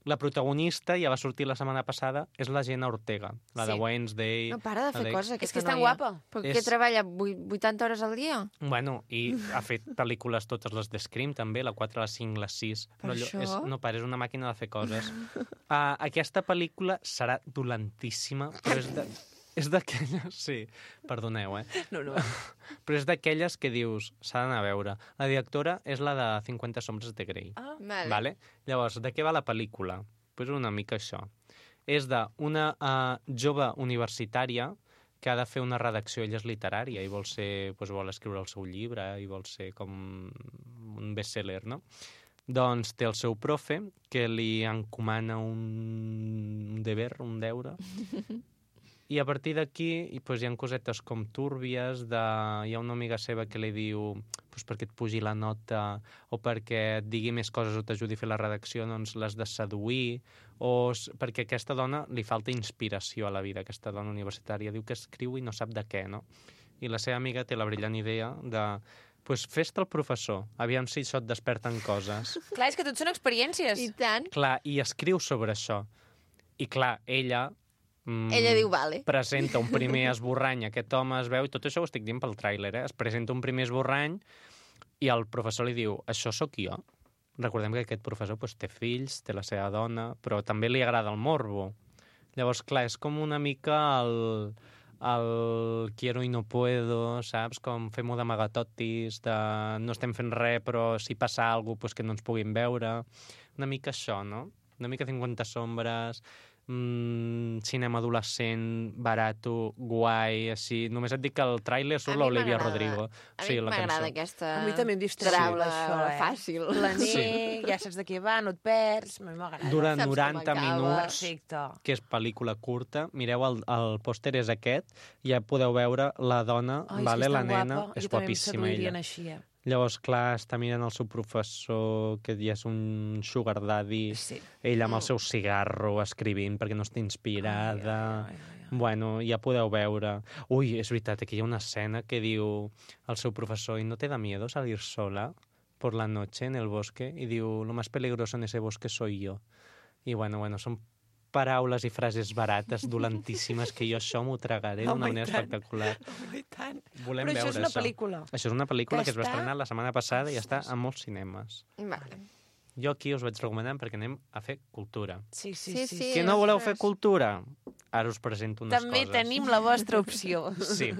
la protagonista, ja va sortir la setmana passada, és la Jenna Ortega, la de Sí. Wednesday. No para de fer coses, És aquesta que és tan noia. guapa. Però És- què treballa? 80 hores al dia? Bueno, i ha fet pel·lícules totes les de Scream, també, la 4, la 5, la 6. Per això? No para, és una màquina de fer coses. Aquesta pel·lícula serà dolentíssima, però és d'aquelles... Sí, perdoneu, No. Però és d'aquelles que dius, s'ha d'anar a veure. La directora és la de 50 sombres de Grey. Vale? Llavors, de què va la pel·lícula? Pues una mica això. És d'una jove universitària que ha de fer una redacció, ella és literària i vol escriure el seu llibre i vol ser com un bestseller, no? Doncs té el seu profe que li encomana un deber, un deure, i a partir d'aquí hi ha cosetes com túrbies, hi ha una amiga seva que li diu perquè et pugi la nota o perquè et digui més coses o t'ajudi a fer la redacció, doncs l'has de seduir, o perquè a aquesta dona li falta inspiració a la vida, aquesta dona universitària. Diu que escriu i no sap de què, no? I la seva amiga té la brillant idea de fes-te el professor, aviam si això et desperten coses. Clar, és que tot són experiències. I tant. Clar, i escriu sobre això. I clar, ella diu, vale. Presenta un primer esborrany, aquest home es veu, i tot això ho estic dient pel tràiler, es presenta un primer esborrany i el professor li diu, això sóc jo. Recordem que aquest professor té fills, té la seva dona, però també li agrada el morbo. Llavors, clar, és com una mica el quiero y no puedo, saps? Com fem-ho d'amagatotis, no estem fent res, però si passa alguna cosa, que no ens puguin veure. Una mica això, no? Una mica 50 sombres. cinema adolescent, barato, guai, així. Només et dic que el tràiler surt l'Olivia Rodrigo. A mi m'agrada aquesta... A mi també em distreu drama això, fàcil. Planer, ja saps de què va, no et perds, a mi m'agrada. Dura Saps com 90 acaba. minuts, Perfecte. que és pel·lícula curta. Mireu, el pòster és aquest, ja podeu veure la dona, Ai, vale, és que la és tan nena, guapa. és Jo també em guapíssima ella. seduirien així, Llavors, clar, està mirant el seu professor, que ja és un sugar daddy, Sí. ella amb el seu cigarro escrivint perquè no està inspirada... Bueno, ja podeu veure... Ui, és veritat, aquí hi ha una escena que diu el seu professor, ¿y no te da miedo salir sola por la noche en el bosque? I diu, lo más peligroso en ese bosque soy yo. I bueno, són paraules i frases barates, dolentíssimes, que jo això m'ho tragaré d'una manera espectacular. Oh, i tant. Volem Però veure això és una pel·lícula. Això és una pel·lícula que es va està- estrenar la setmana passada i està a molts cinemes. Vale. Jo aquí us vaig recomanant perquè anem a fer cultura. Sí, Sí, sí. Que no voleu fer cultura? Ara us presento unes També coses. tenim la vostra opció. Sí.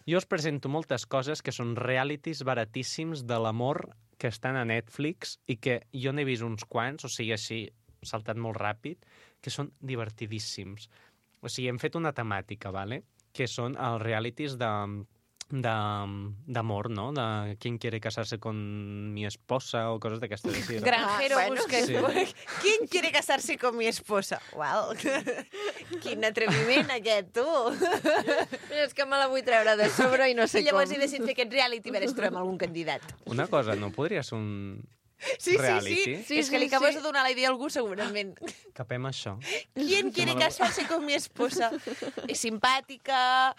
Jo us presento moltes coses que són realities baratíssims de l'amor que estan a Netflix i que jo n'he vist uns quants, o sigui, així, saltat molt ràpid, que són divertidíssims. O sigui, hem fet una temàtica, ¿vale? Que són els realities d'amor, no? De ¿quién quiere casarse con mi esposa? O coses d'aquestes. Així. Granjero bueno, busca... sí. ¿Quién quiere casarse con mi esposa? Uau, quin atreviment aquest, tu. És que me la vull treure de sobre i no sé I llavors com. he decidit fer aquest reality, a veure si trobem algun candidat. Una cosa, no podria ser un Sí, reality? sí. És que li acabes de donar la idea a algú, segurament. Capem això. ¿Quién quiere casarse con mi esposa? És simpàtica,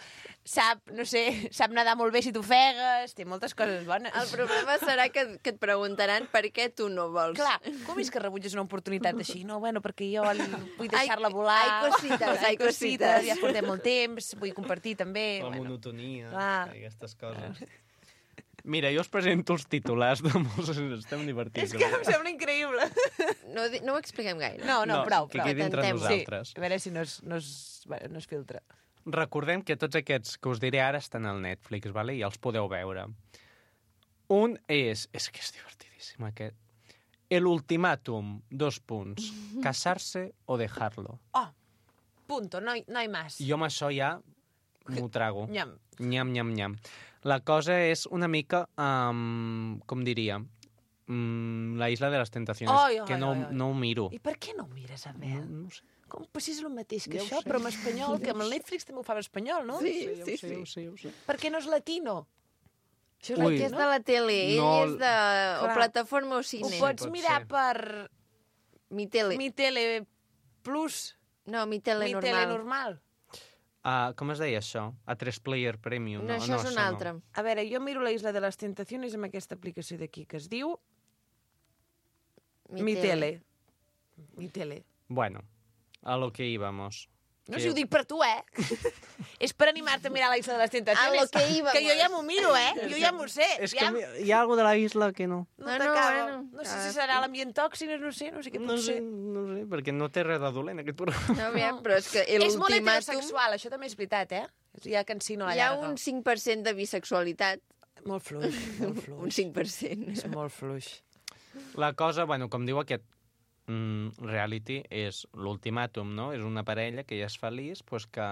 sap, no sé, sap nedar molt bé si t'ofegues, té moltes coses bones. El problema serà que et preguntaran per què tu no vols. Clar, com és que rebutges una oportunitat així? No, bueno, perquè jo vull deixar-la volar. Ai, cosites, ai, cosites. Ja portem molt temps, vull compartir també. La Bueno. monotonia, Clar. aquestes coses. Mira, jo us presento els titulars de molts... Estem divertits. És que em sembla increïble. No ho expliquem gaire. No, prou. Que quedi entre Intentem-ho. nosaltres. Sí, a veure si no es filtra. Recordem que tots aquests que us diré ara estan al Netflix, vale? I els podeu veure. Un és que és divertidíssim aquest. El ultimàtum, 2 punts. Casarse o dejarlo. Oh, punto, no hay más. Jo amb això ja m'ho trago. Nyam. Nyam, nyam, nyam. La cosa és una mica, com diria, la isla de les tentacions, Ai, que ai, no, ai, ai. no ho miro. I per què no ho mires, Abel? No ho sé. Com pues és el mateix que Ja ho això, sé. però en espanyol, que amb el Netflix també ho fa en espanyol, no? Sí. Ho sé. Per què no és latino? Això és Ui. Perquè és de la tele, ell No, és de... o clar. plataforma o Ho cine. pots pot mirar ser. per Mi tele. Mi Tele Plus, No, mi tele Mi normal. Tele Normal. Com es deia això? A3 Player Premium. No, això és un altre. A veure, jo miro la Isla de les Tentaciones amb aquesta aplicació d'aquí que es diu Mi Tele. Mi Tele. Bueno, a lo que íbamos. No Que- si ho dic per tu, És per animar-te a mirar la Isla de les Tentaciones. A lo que íbamos. Que jo ja m'ho miro, Jo ja m'ho sé. És ja que hi ha algo de la isla que no. no Bueno, t'acaba. bueno, No sé si serà l'ambient tòxic, no sé què pot ser. No sé, perquè no té res de dolent aquest programa. No, aviam, però és que És molt l'ultimàtum... heterosexual, això també és veritat, Hi ha cansino a la Hi ha llarga. un 5% de bisexualitat. Molt fluix, molt fluix. Un 5%. És molt fluix. La cosa, bueno, com diu aquest reality, és l'ultimàtum, no? És una parella que ja és feliç, pues que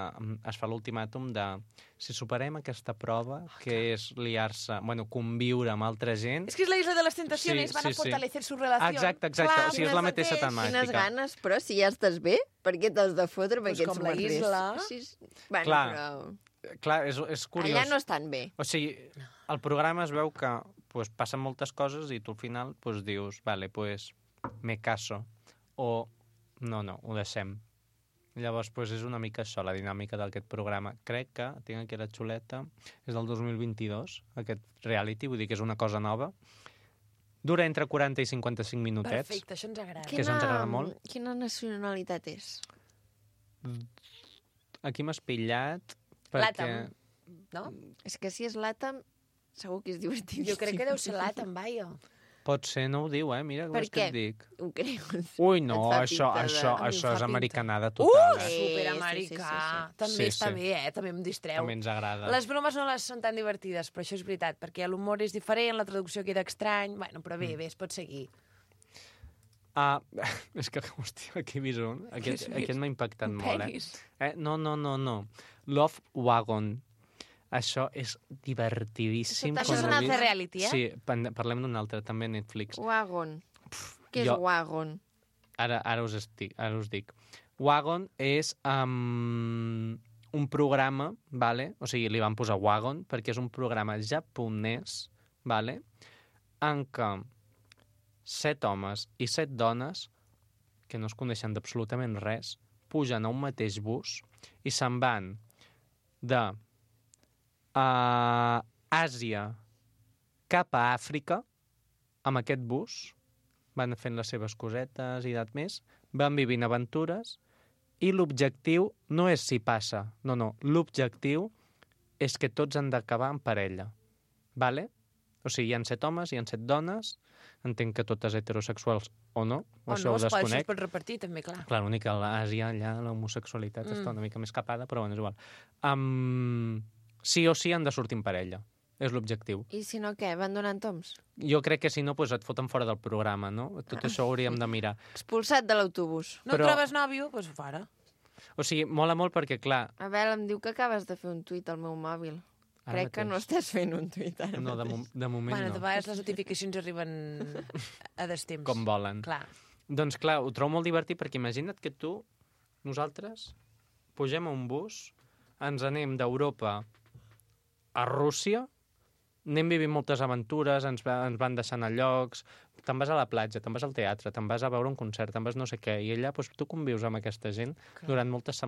es fa l'ultimàtum de si superem aquesta prova, que és liar-se, bueno, conviure amb altra gent... És que és la Isla de les Tentaciones, Sí, van a sí, sí. fortalecer su relación. Exacte. Clar, O sigui, és la quines mateixa mateix. temàtica. Quines ganes, però si ja estàs bé, per què t'has de fotre amb Pues aquests com la merlers? isla. Sí, bueno, Clar, però Clar, és curiós. allà no estan bé. O sigui, el programa es veu que pues, passen moltes coses i tu al final pues, dius, vale, pues me caso. O no, ho deixem. Llavors, pues, és una mica això, la dinàmica d'aquest programa. Crec que, tinc aquí la xuleta, és del 2022, aquest reality, vull dir que és una cosa nova. Dura entre 40 i 55 minutets. Perfecte, això ens agrada. Que això ens agrada molt. Quina nacionalitat és? Aquí m'has pillat perquè... Latam. No? És que si és l'àtam, segur que és divertit. Jo crec que deu ser l'Atam, vaja. Pot ser, no ho diu, mira, Per com és que què? et dic. Ho creu. Ui, no, Et fa això pinta de- A mi em és fa pinta. americanada total. Superamericà. Sí. També Sí, està sí. bé, També em distreu. També ens agrada. Les bromes no les són tan divertides, però això és veritat, perquè l'humor és diferent, la traducció queda estrany... Bueno, però bé, es pot seguir. És que, hòstia, aquí he vist un. Aquest m'ha impactat Un molt, penis. No. Love Wagon. Això és divertidíssim. Això és un altre reality, eh? Sí, parlem d'un altre, també a Netflix. Wagon. Què és Wagon? Ara us dic. Wagon és un programa, vale? O sigui, li van posar Wagon perquè és un programa japonès, vale? En què 7 homes i 7 dones, que no es coneixen d'absolutament res, pugen a un mateix bus i se'n van de Àsia cap a Àfrica amb aquest bus, van fent les seves cosetes i dat més, van vivint aventures i l'objectiu no és si passa, no, l'objectiu és que tots han d'acabar en parella, vale? O sigui, hi ha 7 homes, hi ha 7 dones, entenc que totes heterosexuals o no, O això no, ho desconec. es pot repartir, també, clar. Clar, l'únic que a l'Àsia allà l'homosexualitat està una mica més capada, però bueno, és igual. Sí o sí han de sortir en parella, és l'objectiu. I si no, què? Van donant toms? Jo crec que si no, doncs et foten fora del programa, no? Tot això ho hauríem de mirar. Expulsat de l'autobús. No trobes nòvio? Doncs fora. O sigui, mola molt perquè, clar... Abel, em diu que acabes de fer un tuit al meu mòbil. Crec que no estàs fent un tuit ara. No, de moment Bueno, de no. vegades les notificacions arriben a destemps. Com volen. Clar. Doncs clar, ho trobo molt divertit perquè imagina't que nosaltres, pugem a un bus, ens anem d'Europa a Rússia, anem vivint moltes aventures, ens van deixant a llocs, te'n vas a la platja, te'n vas al teatre, te'n vas a veure un concert, te'n vas no sé què, i allà doncs, tu convius amb aquesta gent durant moltes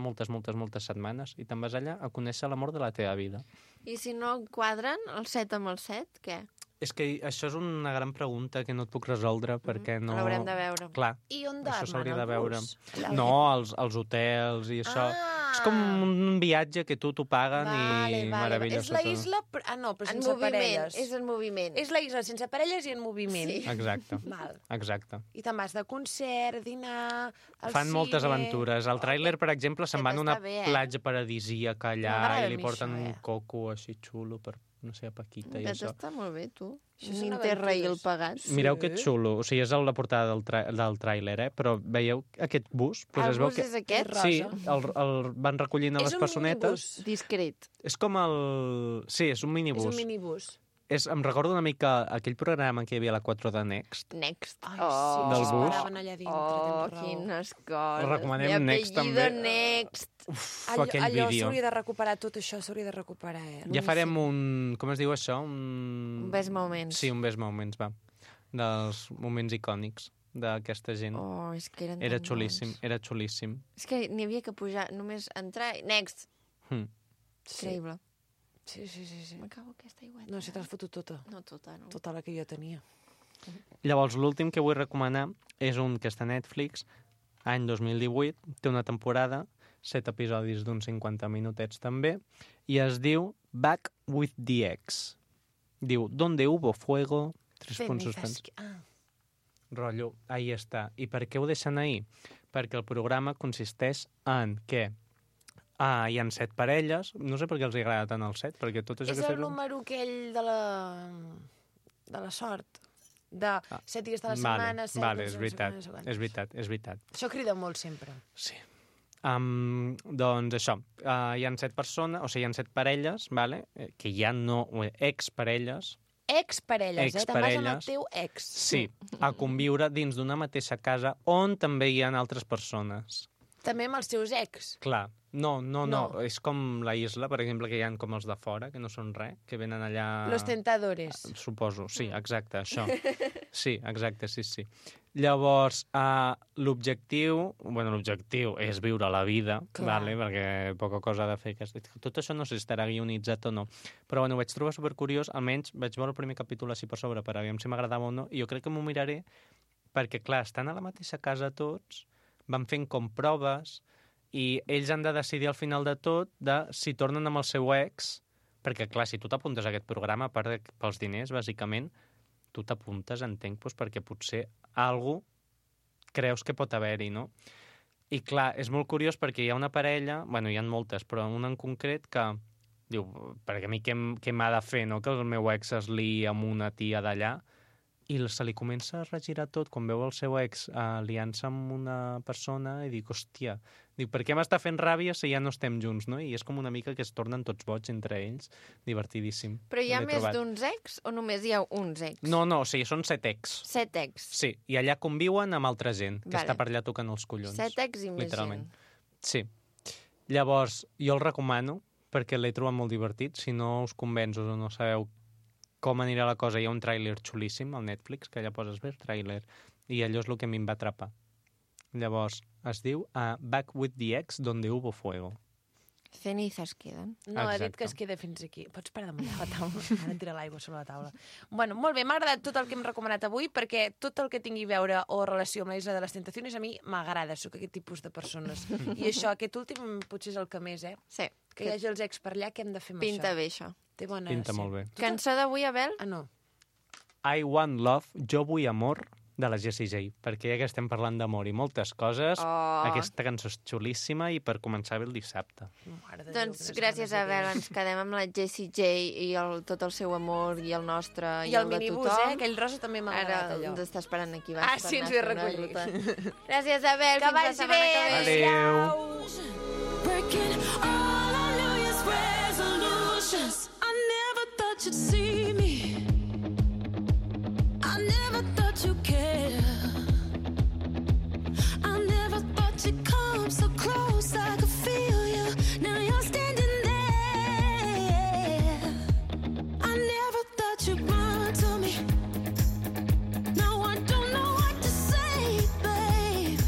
setmanes i te'n vas allà a conèixer l'amor de la teva vida. I si no quadren el 7 amb el 7, què? És que això és una gran pregunta que no et puc resoldre perquè no... L'haurem de veure. Clar, I on això dormen, s'hauria al de veure. bus? No, als hotels i això. És com un viatge que t'ho paguen i meravellós. És la isla... no, però En sense moviment, parelles. és en moviment. És la isla sense parelles i en moviment. Sí. Exacte, Val. exacte. I te'n vas de concert, dinar, al Fan cine... moltes aventures. Al tràiler, per exemple, se'n van a una està bé, platja paradisíaca allà M'agrada i li a mi porten això, un coco així xulo per, no sé, a Paquita i Aquest això. està molt bé, tu. Això Un són Interrail aventures. pagat. Mireu que xulo. O sigui, és la portada del tràiler, però veieu aquest bus? Doncs El es veu bus és aquest? rosa. Sí, el van recollint a És les un personetes. minibús. Discret. És com el... Sí, és un minibús. És un minibús. Em recordo una mica aquell programa que hi havia a la 4 de Next. Next. Ai, Oh. sí, Del es bus. paraven allà dintre, Oh, tens raó. quines coses. Recomanem Mi Next, apellido també. Next. Aquell Allò vídeo. s'hauria de recuperar, tot això s'hauria de recuperar, Ja farem un... Com es diu això? Un best moments. Sí, un best moments, va. Dels moments icònics d'aquesta gent. Oh, és que eren Era tan xulíssim, bons. era xulíssim. És que n'hi havia que pujar, només entrar i... Next. Hm. Increïble. Sí. M'acabo aquesta aigüeta. No, si te l'has fotut tota. No, tota, no. Tota la que jo tenia. Llavors, l'últim que vull recomanar és un que està a Netflix, any 2018, té una temporada, 7 episodis d'uns 50 minutets també, i es diu Back with the Ex. Diu, donde hubo fuego, 3 punts suspens. Rotllo, ahí està. I per què ho deixen ahir? Perquè el programa consisteix en què hi ha 7 parelles, no sé per què els agrada tant el 7, perquè tot això És que el número aquell de la sort. De 7 dies de la setmana, 7 vale, és veritat. Això crida molt sempre. Sí. Doncs això, hi ha 7 persones, o sigui, hi ha 7 parelles, vale? Que ja no... Exparelles. Exparelles, Te'n vas amb el Exparelles. teu ex. Sí, a conviure dins d'una mateixa casa on també hi ha altres persones. També amb els seus ex. Clar, no. No. És com la isla, per exemple, que hi ha com els de fora, que no són res, que venen allà... Los tentadores. Suposo, sí, exacte, això. Sí, exacte, sí. Llavors, l'objectiu és viure la vida, vale? Perquè poca cosa ha de fer. Tot això no sé si estarà guionitzat o no. Però ho vaig trobar supercuriós, almenys vaig veure el primer capítol així per sobre per veure si m'agradava o no, i jo crec que m'ho miraré perquè, clar, estan a la mateixa casa tots, van fent com proves, i ells han de decidir al final de tot si tornen amb el seu ex, perquè, clar, si tu t'apuntes a aquest programa, a part pels diners, bàsicament, tu t'apuntes, entenc, doncs, perquè potser algú creus que pot haver-hi, no? I, clar, és molt curiós perquè hi ha una parella, bueno, hi ha moltes, però una en concret que diu, perquè a mi què m'ha de fer, no?, que el meu ex es liï amb una tia d'allà, i se li comença a regirar tot quan veu el seu ex aliant-se amb una persona i dic, hòstia, per què m'està fent ràbia si ja no estem junts, no? I és com una mica que es tornen tots boig entre ells, divertidíssim. Però hi ha més d'uns ex o només hi ha uns ex? No, o sigui, són 7 ex. 7 ex? Sí, i allà conviuen amb altra gent, que està per allà tocant els collons. 7 ex i més gent. Sí. Llavors, jo el recomano, perquè l'he trobat molt divertit. Si no us convenços o no sabeu com anirà la cosa, hi ha un tràiler xulíssim al Netflix, que allà poses bé, tràiler, i allò és el que a mi em va atrapar. Llavors, es diu Back with the Ex, donde hubo fuego. Cenizas queden. No, he dit que es queda fins aquí. Pots parar de mullar la taula? Ara tira l'aigua sobre la taula. Bueno, molt bé, m'ha agradat tot el que hem recomanat avui, perquè tot el que tingui a veure o relació amb la Isla de les Tentaciones a mi m'agrada, sóc aquest tipus de persones. I això, aquest últim, potser és el que més, Sí. Que hi hagi els ex per allà, què hem de fer amb Pinta això? bé, això. Pinta molt bé. Cançó d'avui, Abel? No. I Want Love, Jo vull amor, de la Jessie J, perquè ja que estem parlant d'amor i moltes coses, aquesta cançó és xulíssima i per començar bé el dissabte. Doncs gràcies, Abel, ens quedem amb la Jessie J i tot el seu amor i el nostre i el de minibús, tothom. aquell rosa també m'ha agradat, allò. Ara ens està esperant aquí baix. Sí, ens ve a recollir. Gràcies, Abel, fins la setmana que ve. Adéu. Breaking all our New Year's resolutions. I never thought you'd see me. I never thought you'd care. I never thought you'd come so close I could feel you. Now you're standing there. I never thought you'd run to me. Now I don't know what to say, babe.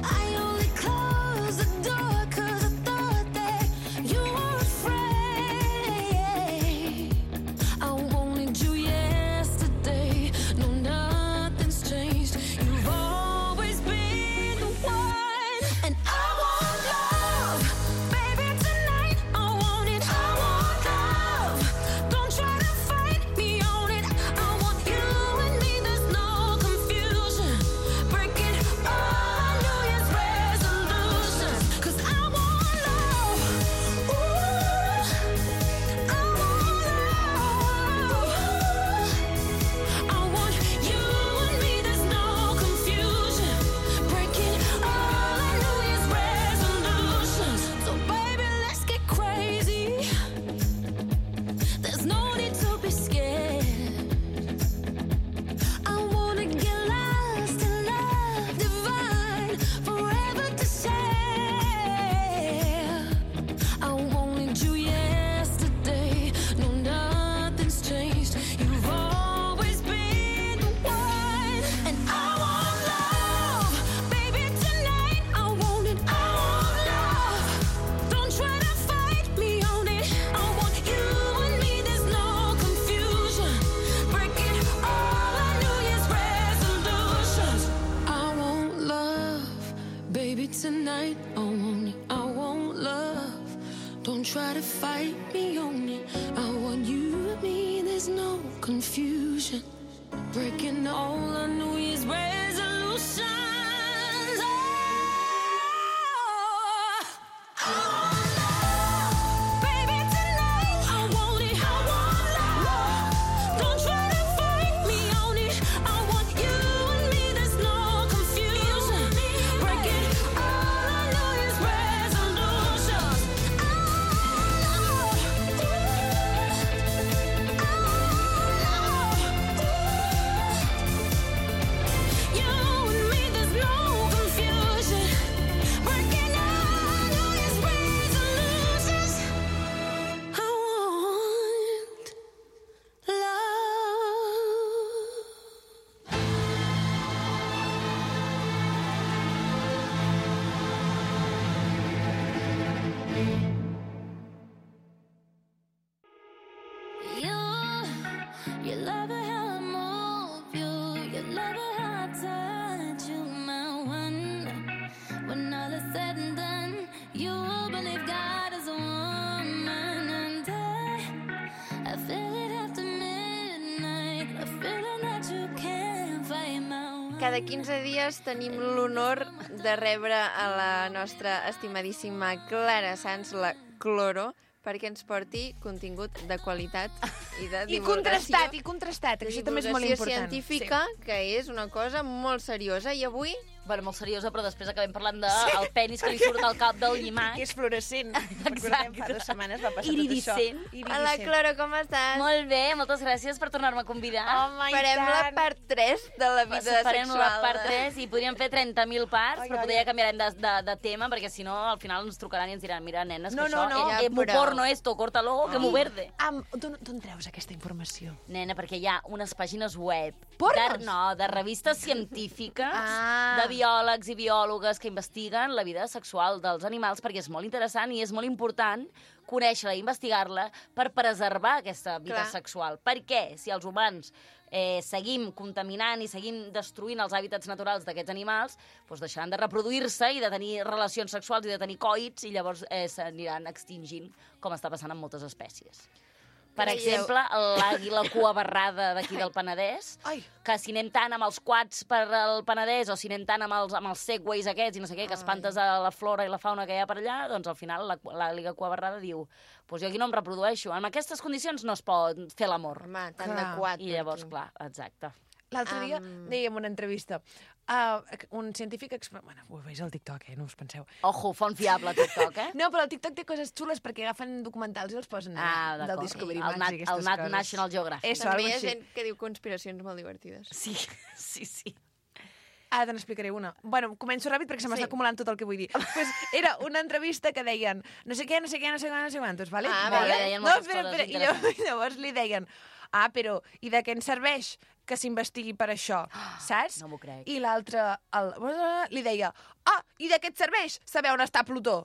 I only closed the door 'cause I thought that you were afraid. I wanted you yesterday. No, nothing's changed. You've always been the one. And I want love, baby, tonight. I want it, I want love. Don't try to fight me on it. I want you and me, there's no confusion. Breaking all New Year's resolutions. 'Cause I want love. Ooh, I want love. I want you and me, there's no confusion. Breaking all our New Year's resolutions. So baby, let's get crazy. There's no need to be scared. I wanna get lost in love divine, forever to share. I wanted you yesterday. No, nothing's changed. You've always been the one. And I want love, baby, tonight. I want it, I want love. Don't try to fight me on it. I want you and me, there's no confusion. Breaking all our New Year's resolutions. I want love, baby, tonight. I want it, I want love. Don't try to fight me on it. I want you and me, there's no confusion. Breaking all our New Year's resolutions. Baby, tonight. I want it, I want love. Don't try to fight me on it. I want you and me, there's no confusion. Breaking all our New Year's resolutions. You and me, there's no confusion. Breaking all New Year's resolutions. I want love. You love it how I move you love it how I touch you, my one. When all is said and done, you will believe God is a woman. And I feel it after midnight, a feeling that you can't fight, my one. Cada 15 dies tenim l'honor de rebre a la nostra estimadíssima Clara Sans, la Cloro, perquè ens porti contingut de qualitat I contrastat, que això també és molt important. científica, que és una cosa molt seriosa. I avui... Bueno, molt seriosa, però després acabem parlant del penis que li surt al cap del llimac. Que és fluorescent. Recordem, fa 2 setmanes va passar Iridiscent. tot això. Hola, Cloro, com estàs? Molt bé, moltes gràcies per tornar-me a convidar. Home, Farem la part 3 de la vida sexual. Farem la part 3 i podríem fer 30.000 parts, però potser ja canviarem de tema, perquè si no, al final ens trucaran i ens diran mira, nenes, que això és porno esto, córtalo, que m'ho verde. D'on treus aquesta informació? Nena, perquè hi ha unes pàgines web Pornos? de revistes científiques, de biòlegs i biòlogues que investiguen la vida sexual dels animals, perquè és molt interessant i és molt important conèixer-la i investigar-la per preservar aquesta vida sexual. Per què? Si els humans seguim contaminant i seguim destruint els hàbitats naturals d'aquests animals, doncs deixaran de reproduir-se i de tenir relacions sexuals i de tenir coits i llavors s'aniran extingint, com està passant amb moltes espècies. Per exemple, l'àguila cuabarrada d'aquí del Penedès, que si anem tant amb els quads per al Penedès o si anem tant amb els segways aquests i no sé què, que espantes a la flora i la fauna que hi ha per allà, doncs al final l'àguila cuabarrada diu pues jo aquí no em reprodueixo. En aquestes condicions no es pot fer l'amor. Home, tant de quad. I llavors, clar, exacte. L'altre dia dèiem una entrevista. Un científic... Bueno, ho veus al TikTok, no us penseu. Ojo, font fiable, TikTok, No, però el TikTok té coses xules perquè agafen documentals i els posen del Discovery Max i aquestes coses. El National Geographic. També hi ha gent que diu conspiracions molt divertides. Sí. Ara te n'explicaré una. Bueno, començo ràpid perquè se m'està acumulant tot el que vull dir. Pues era una entrevista que deien no sé què, quantos, vale? Deien moltes coses interessants. I llavors li deien però i de què ens serveix que s'investigui per això, saps? No m'ho crec. I l'altre li deia i de què et serveix saber on està Plutó?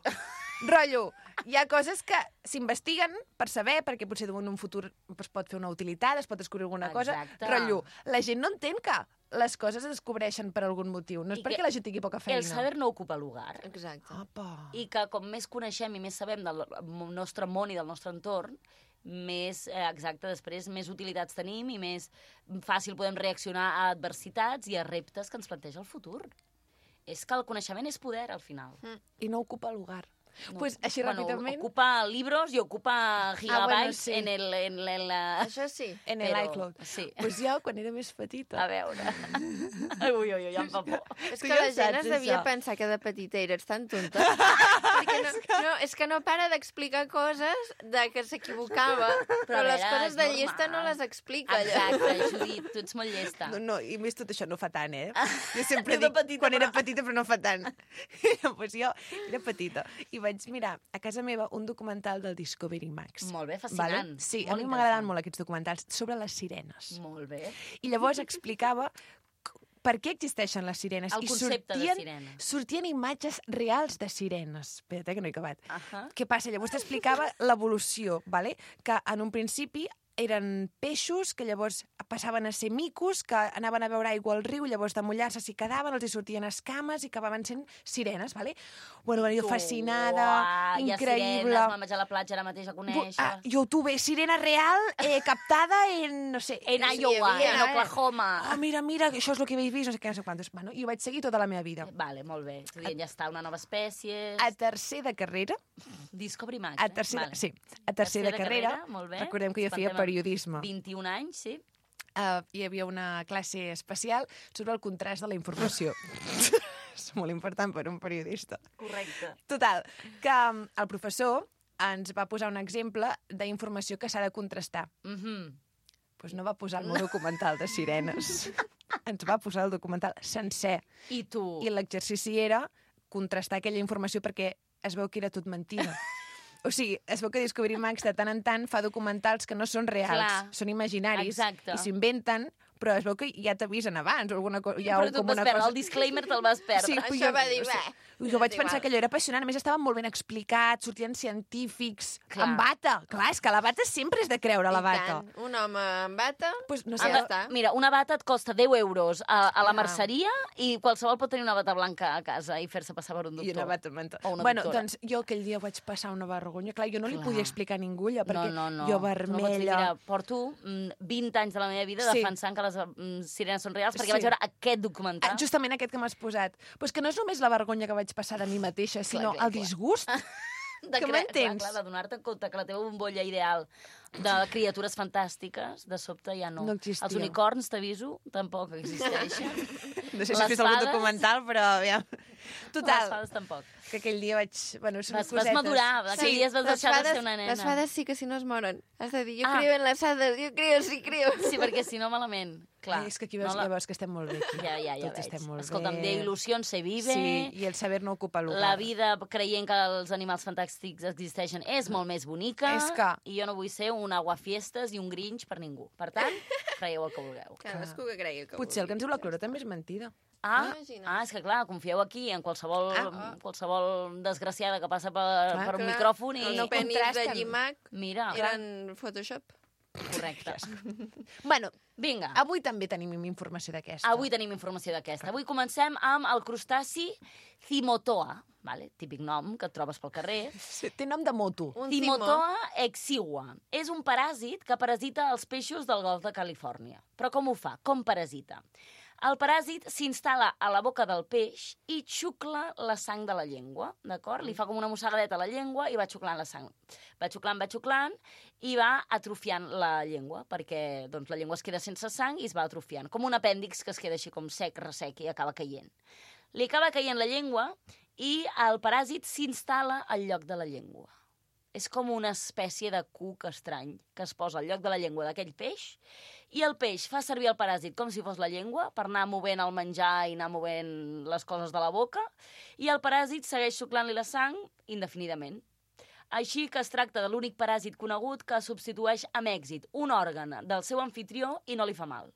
Rotllo, hi ha coses que s'investiguen per saber, perquè potser en un futur es pot fer una utilitat, es pot descobrir alguna cosa. Rotllo, la gent no entén que les coses es descobreixen per algun motiu. No és perquè la gent tingui poca feina. El saber no ocupa lugar. Exacte. I que com més coneixem i més sabem del nostre món i del nostre entorn, més, després, més utilitats tenim i més fàcil podem reaccionar a adversitats i a reptes que ens planteja el futur. És que el coneixement és poder, al final. I no ocupa lugar. Pues així ràpidament... Ocupa libros i ocupa gigabytes en el... Això sí. En l'iCloud. Sí. Pues jo, quan era més petita... A veure... Ui, ja em fa por. És que la gent es devia pensar que de petita eres tan tonta. Perquè és que no para d'explicar coses de que s'equivocava, però les coses de llesta no les explica. Exacte, Judit, tu ets molt llesta. No, i més tot això no fa tant, Jo sempre dic quan era petita, però no fa tant. Pues jo era petita i vaig mirar a casa meva un documental del Discovery Max. Molt bé, fascinant. Sí, a mi m'agraden molt aquests documentals sobre les sirenes. Molt bé. I llavors explicava per què existeixen les sirenes. El concepte de sirena. Sortien imatges reals de sirenes. Espera't, que no he acabat. Què passa? Llavors t'explicava l'evolució, vale? Que en un principi eren peixos que llavors passaven a ser micos, que anaven a beure aigua al riu, llavors de mullar-se s'hi quedaven, els hi sortien escames i acabaven sent sirenes, vale? Bueno, jo fascinada, increïble. Hi ha sirenes, me'n vaig a la platja ara mateix a conèixer. YouTube, sirena real captada en, no sé... En Iowa, en Oklahoma. Mira, això és el que habéis vist, no sé què, no sé quantos. Bueno, i ho vaig seguir tota la meva vida. Vale, molt bé. Tu dient, ja està, una nova espècie... A tercer de carrera... Discovery Max, Sí, a tercer de carrera. Molt bé. Recordem que jo feia periodisme. 21 anys, sí. Hi havia una classe especial sobre el contrast de la informació. És molt important per un periodista. Correcte. Total, que el professor ens va posar un exemple d'informació que s'ha de contrastar. Pues no va posar el meu documental de sirenes. Ens va posar el documental sencer. I tu? I l'exercici era contrastar aquella informació perquè es veu que era tot mentida. O sigui, es veu que Discovery Max de tant en tant fa documentals que no són reals, són imaginaris, i s'inventen, però es veu que ja t'avisen abans, o alguna cosa... Però tu et vas perdre, el disclaimer te'l vas perdre. Sí, això va dir, jo vaig pensar que allò era apassionant, a més estaven molt ben explicats, sortien científics, amb bata. Clar, és que la bata sempre és de creure, la bata. Un home amb bata, pues no sé, ja està. Mira, una bata et costa 10 euros a la merceria i qualsevol pot tenir una bata blanca a casa i fer-se passar per un doctor. I una bata menta. Bueno, doncs jo aquell dia vaig passar una vergonya. Clar, jo no li podia explicar a ningú, perquè no. jo vermella... Mira, porto 20 anys de la meva vida defensant que les sirenes són reals perquè vaig veure aquest documental. Justament aquest que m'has posat. Però és que no és només la vergonya que vaig passar de mi mateixa, sinó el disgust. Que m'entens? Clar, de donar-te compte que la teva bombolla ideal de criatures fantàstiques, de sobte ja no. No existia. Els unicorns, t'aviso, tampoc existeixen. No sé si has Les vist algun fades- documental, però aviam. Les Total, fades tampoc. que aquell dia vaig... Bueno, són Vas cosetes. madurar, aquell dia es vas deixar de ser una nena. Les fades sí que si no es moren. Has de dir, jo Ah. creo en les fades, jo creo, sí creo. Sí, perquè si no, malament. Clar. Ai, és que aquí veus, ja veus que estem molt bé. Aquí. Ja Tots veig. estem molt Escolta'm, bé. de il·lusió se vive. Sí, i el saber no ocupa lugar. La vida creient que els animals fantàstics existeixen és molt més bonica. És que- I jo no vull ser un aguafiestes i un grinch per ningú. Per tant, creieu el que vulgueu. Cadascú que cregui que Potser el que ens diu la Clora també és mentida. És que clar, confieu aquí en qualsevol, qualsevol desgraciada que passa per un Clar, micròfon i... el penis de contrasten. llimac Mira, eren Photoshop. correcte. Bueno, Vinga, avui també tenim informació d'aquesta. avui tenim informació d'aquesta. Avui comencem amb el crustaci Cimotoa, vale? Típic nom que et trobes pel carrer. Sí, té nom de moto. Un Cimotoa exigua. És un paràsit que parasita els peixos del golf de Califòrnia. Però com ho fa? Com parasita? El paràsit s'instal·la a la boca del peix i xucla la sang de la llengua, d'acord? Li fa com una mossegadeta a la llengua i va xuclant la sang. Va xuclant i va atrofiant la llengua, perquè doncs, la llengua es queda sense sang i es va atrofiant. Com un apèndix que es queda així com sec, ressec i acaba caient. Li acaba caient la llengua i el paràsit s'instal·la al lloc de la llengua. És com una espècie de cuc estrany que es posa al lloc de la llengua d'aquell peix i el peix fa servir el paràsit com si fos la llengua per anar movent el menjar i anar movent les coses de la boca i el paràsit segueix xuclant-li la sang indefinidament. Així que es tracta de l'únic paràsit conegut que substitueix amb èxit un òrgan del seu anfitrió i no li fa mal.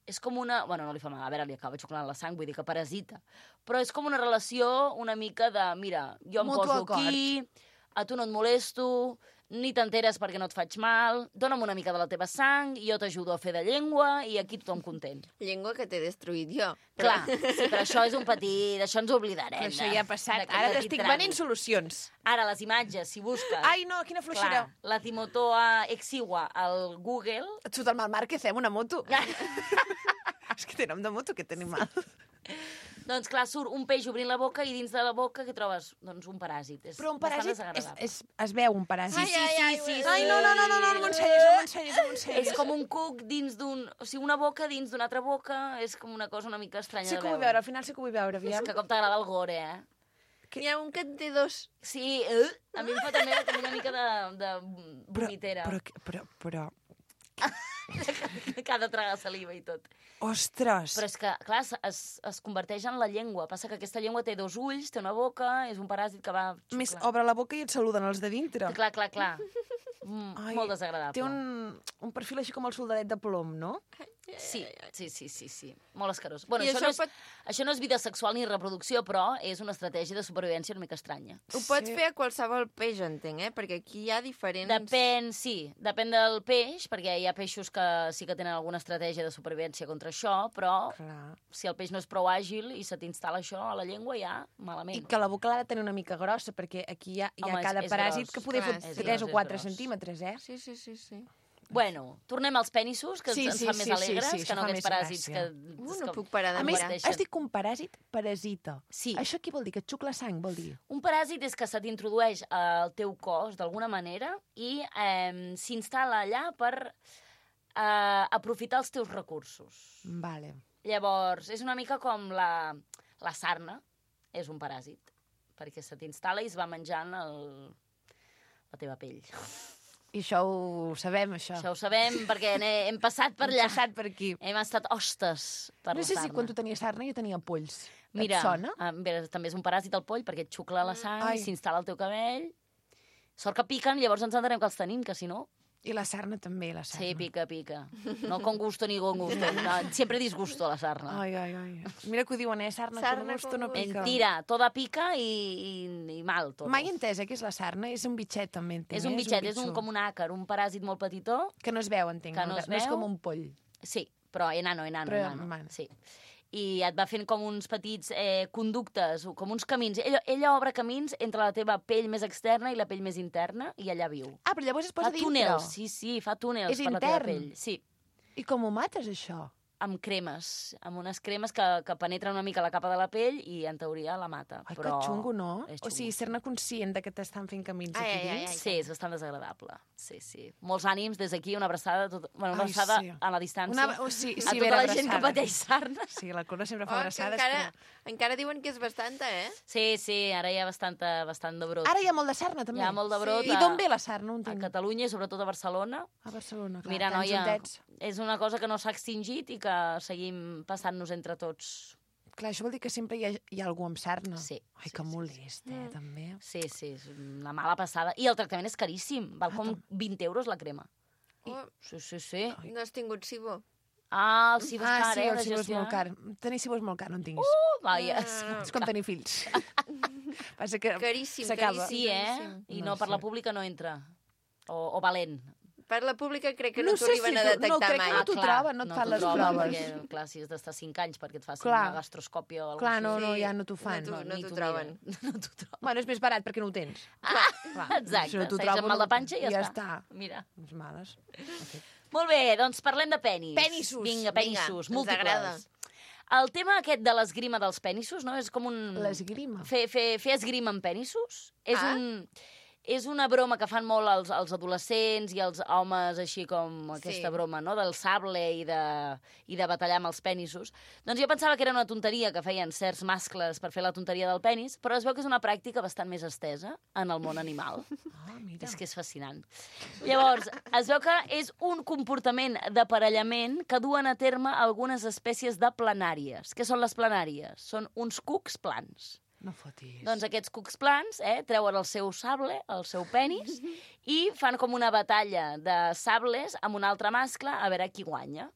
És com una... Bueno, no li fa mal, a veure, li acaba xuclant la sang, vull dir que parasita. Però és com una relació una mica de, mira, jo em Mutu poso acord. aquí, a tu no et molesto, ni t'enteres perquè no et faig mal, dona'm una mica de la teva sang, i jo t'ajudo a fer de llengua, i aquí tothom content. Llengua que t'he destruït jo. Clar, sí, però això és un petit... D'això ens oblidarem. Però això ja ha passat. d'aquest Ara petit t'estic tràmit. venint solucions. Ara, les imatges, si busques... Ai, no, quina fluixera. Clar, la Cimotoa exigua al Google... Et surt el Marc Márquez, amb una moto. És que té nom de moto, aquest animal. Doncs clar, surt un peix obrint la boca i dins de la boca què trobes? Doncs un paràsit. És Però un bastant paràsit desagradable. es veu, un paràsit. Sí. Ai, no m'ensenyis. És com un cuc dins d'un... O sigui, una boca dins d'una altra boca. És com una cosa una mica estranya Sí de que ho vull veure, al final sí que ho vull veure, És aviam. que com t'agrada el gore, N'hi ha un que en té dos. Sí, a mi em fa també com una mica de vomitera. Però... Que ha de tragar saliva i tot. Ostres! Però és que, clar, es converteix en la llengua. Passa que aquesta llengua té dos ulls, té una boca, és un paràsit que va xuclar. Més obre la boca i et saluden els de dintre. Clar. Ai, Molt desagradable. Té un perfil així com el soldadet de plom, no? Sí. Molt escarós. Bueno, I això no és vida sexual ni reproducció, però és una estratègia de supervivència una mica estranya. Ho pots fer a qualsevol peix, entenc, Perquè aquí hi ha diferents... Depèn del peix, perquè hi ha peixos que sí que tenen alguna estratègia de supervivència contra això, però Clar. si el peix no és prou àgil i se t'instal·la això a la llengua, ja malament. I que la boca l'ha de tenir una mica grossa, perquè aquí hi ha Home, cada és paràsit gros. que poder Clar, fer és 3 gros, o és 4 gros. centímetres, Sí. Bueno, tornem als penissos, que ens fan més alegres, sí, que no fa aquests més paràsits gràcia. que... No puc parar de A més, mirar. has dit que un paràsit parasita. Sí. Això què vol dir? Que et xucla sang, vol dir? Un paràsit és que se t'introdueix al teu cos d'alguna manera i s'instal·la allà per aprofitar els teus recursos. Vale. Llavors, és una mica com la sarna, és un paràsit, perquè se t'instal·la i es va menjant la teva pell. I això ho sabem, això. Això ho sabem perquè hem passat per allà. Hem passat per aquí. Hem estat hostes per No la sé sarna. si quan tu tenies sarna jo tenia polls. Mira, Et sona? també és un paràsit el poll, perquè et xucla la sang, Ai. s'instal·la al teu cabell. Sort que piquen, llavors ens entenem que els tenim, que si no... I la sarna també, la sarna. Sí, pica. No con gusto ni con gusto. No, siempre disgusto la sarna. Ai. Mira que ho diuen, sarna Sarna con gusto con no gusto. pica. Mentira, toda pica i mal, tot. Mai he entès, què és la sarna? És un bitxet, també, entenc. És un bitxet, és bitxo. com un àcar, un paràsit molt petitó. Que no es veu, entenc. Que no es No és veu. com un poll. Sí, però enano. Però, bueno. Sí. I et va fent com uns petits conductes, com uns camins. Ella obre camins entre la teva pell més externa i la pell més interna, i allà viu. Ah, però llavors es posa Fa dintre. túnels, sí, fa túnels És per la teva intern. pell. Sí. I com ho mates, això? amb cremes, amb unes cremes que penetren una mica la capa de la pell i, en teoria, la mata. Ai, però que xungo, no? és O sigui, xungo. ser-ne conscient de que t'estan fent camins aquí dins. Sí, és bastant desagradable. Sí, sí. Molts ànims des d'aquí, una abraçada, una Ai, abraçada sí. a la distància. Sí, a ben tota la gent que abraçada. pateix sarna. Sí, la Cora sempre fa Oh, que abraçades. encara diuen que és bastanta, eh? Sí, ara hi ha bastant de brot. Ara hi ha molt de sarna, també. Hi ha molt de brot. I d'on ve la sarna? No A entenc. Catalunya i sobretot a Barcelona. A Barcelona, clar. Mira, tants noia, juntets. és una cosa que no s'ha extingit i que seguim passant-nos entre tots. Clar, això vol dir que sempre hi ha algú amb sarna. Sí. Ai, que molest, també. Sí, és una mala passada. I el tractament és caríssim. Val com 20 euros la crema. Oh, Sí. no has tingut Cibo. El cibo és car, sí, de el cibo és gestionar. molt car. Tenir cibo és molt car, no en tinguis. Vaja. És com tenir fills. Passa que Caríssim, s'acaba. Sí, I no, per la pública no entra. O valent. Per la pública crec que No no sé t'arriben si a tu- detectar no, crec mai. que no t'ho troben, no et fan les proves. Perquè, clar, si has d'estar 5 anys perquè et facin Clar. una gastroscòpia o alguna Clar, no, Sí. ja no t'ho fan. No ni t'ho t'ho troben. miren. No t'ho troben. Bueno, és més barat perquè no ho tens. Exacte, Si no t'ho segueix amb trobo, mal de no- panxa i ja ja està. està. Mira. Les males. Molt bé, doncs parlem de penis. Penissos. Vinga, Vinga, penissos, ens múltiples. agrada. El tema aquest de l'esgrima dels penissos, no? És com un... L'esgrima. Fer esgrima amb penissos. És una broma que fan molt els adolescents i els homes, així com aquesta broma, no?, del sable i de batallar amb els penissos. Doncs jo pensava que era una tonteria que feien certs mascles per fer la tonteria del penis, però es veu que és una pràctica bastant més estesa en el món animal. Mira. És que és fascinant. Llavors, es veu que és un comportament d'aparellament que duen a terme algunes espècies de planàries. Què són les planàries? Són uns cucs plans. No fotis. Doncs aquests cucs plans treuen el seu sable, el seu penis, i fan com una batalla de sables amb un altre mascle a veure qui guanya.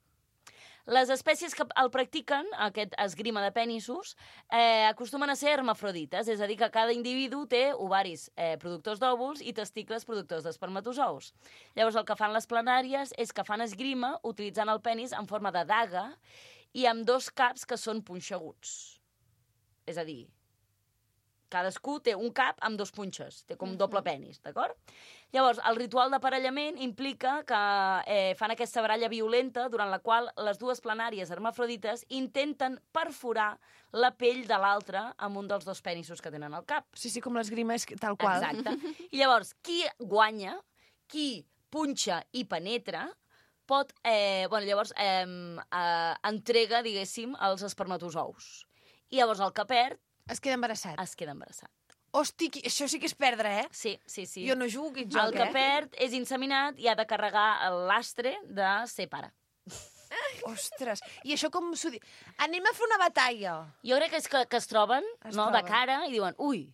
Les espècies que el practiquen, aquest esgrima de penissos, acostumen a ser hermafrodites, és a dir, que cada individu té ovaris productors d'òvuls i testicles productors d'espermatozous. Llavors, el que fan les planàries és que fan esgrima utilitzant el penis en forma de daga i amb 2 caps que són punxeguts. És a dir, cadascú té un cap amb 2 punxes, té com doble penis, d'acord? Llavors, el ritual d'aparellament implica que fan aquesta baralla violenta durant la qual les dues planàries hermafrodites intenten perforar la pell de l'altre amb un dels 2 penissos que tenen al cap. Sí, com l'esgrima és tal qual. Exacte. I llavors, qui guanya, qui punxa i penetra, pot, llavors entrega, diguéssim, els espermatozous. I llavors el que perd es queda embarassat. Es queda embarassat. Hosti, això sí que és perdre, eh? Sí. Jo no jugo aquest joc, El que perd és inseminat i ha de carregar l'astre de ser pare. Ostres, i això com s'ho diu? Anem a fer una batalla. Jo crec que és que es troben de troben. cara i diuen, ui,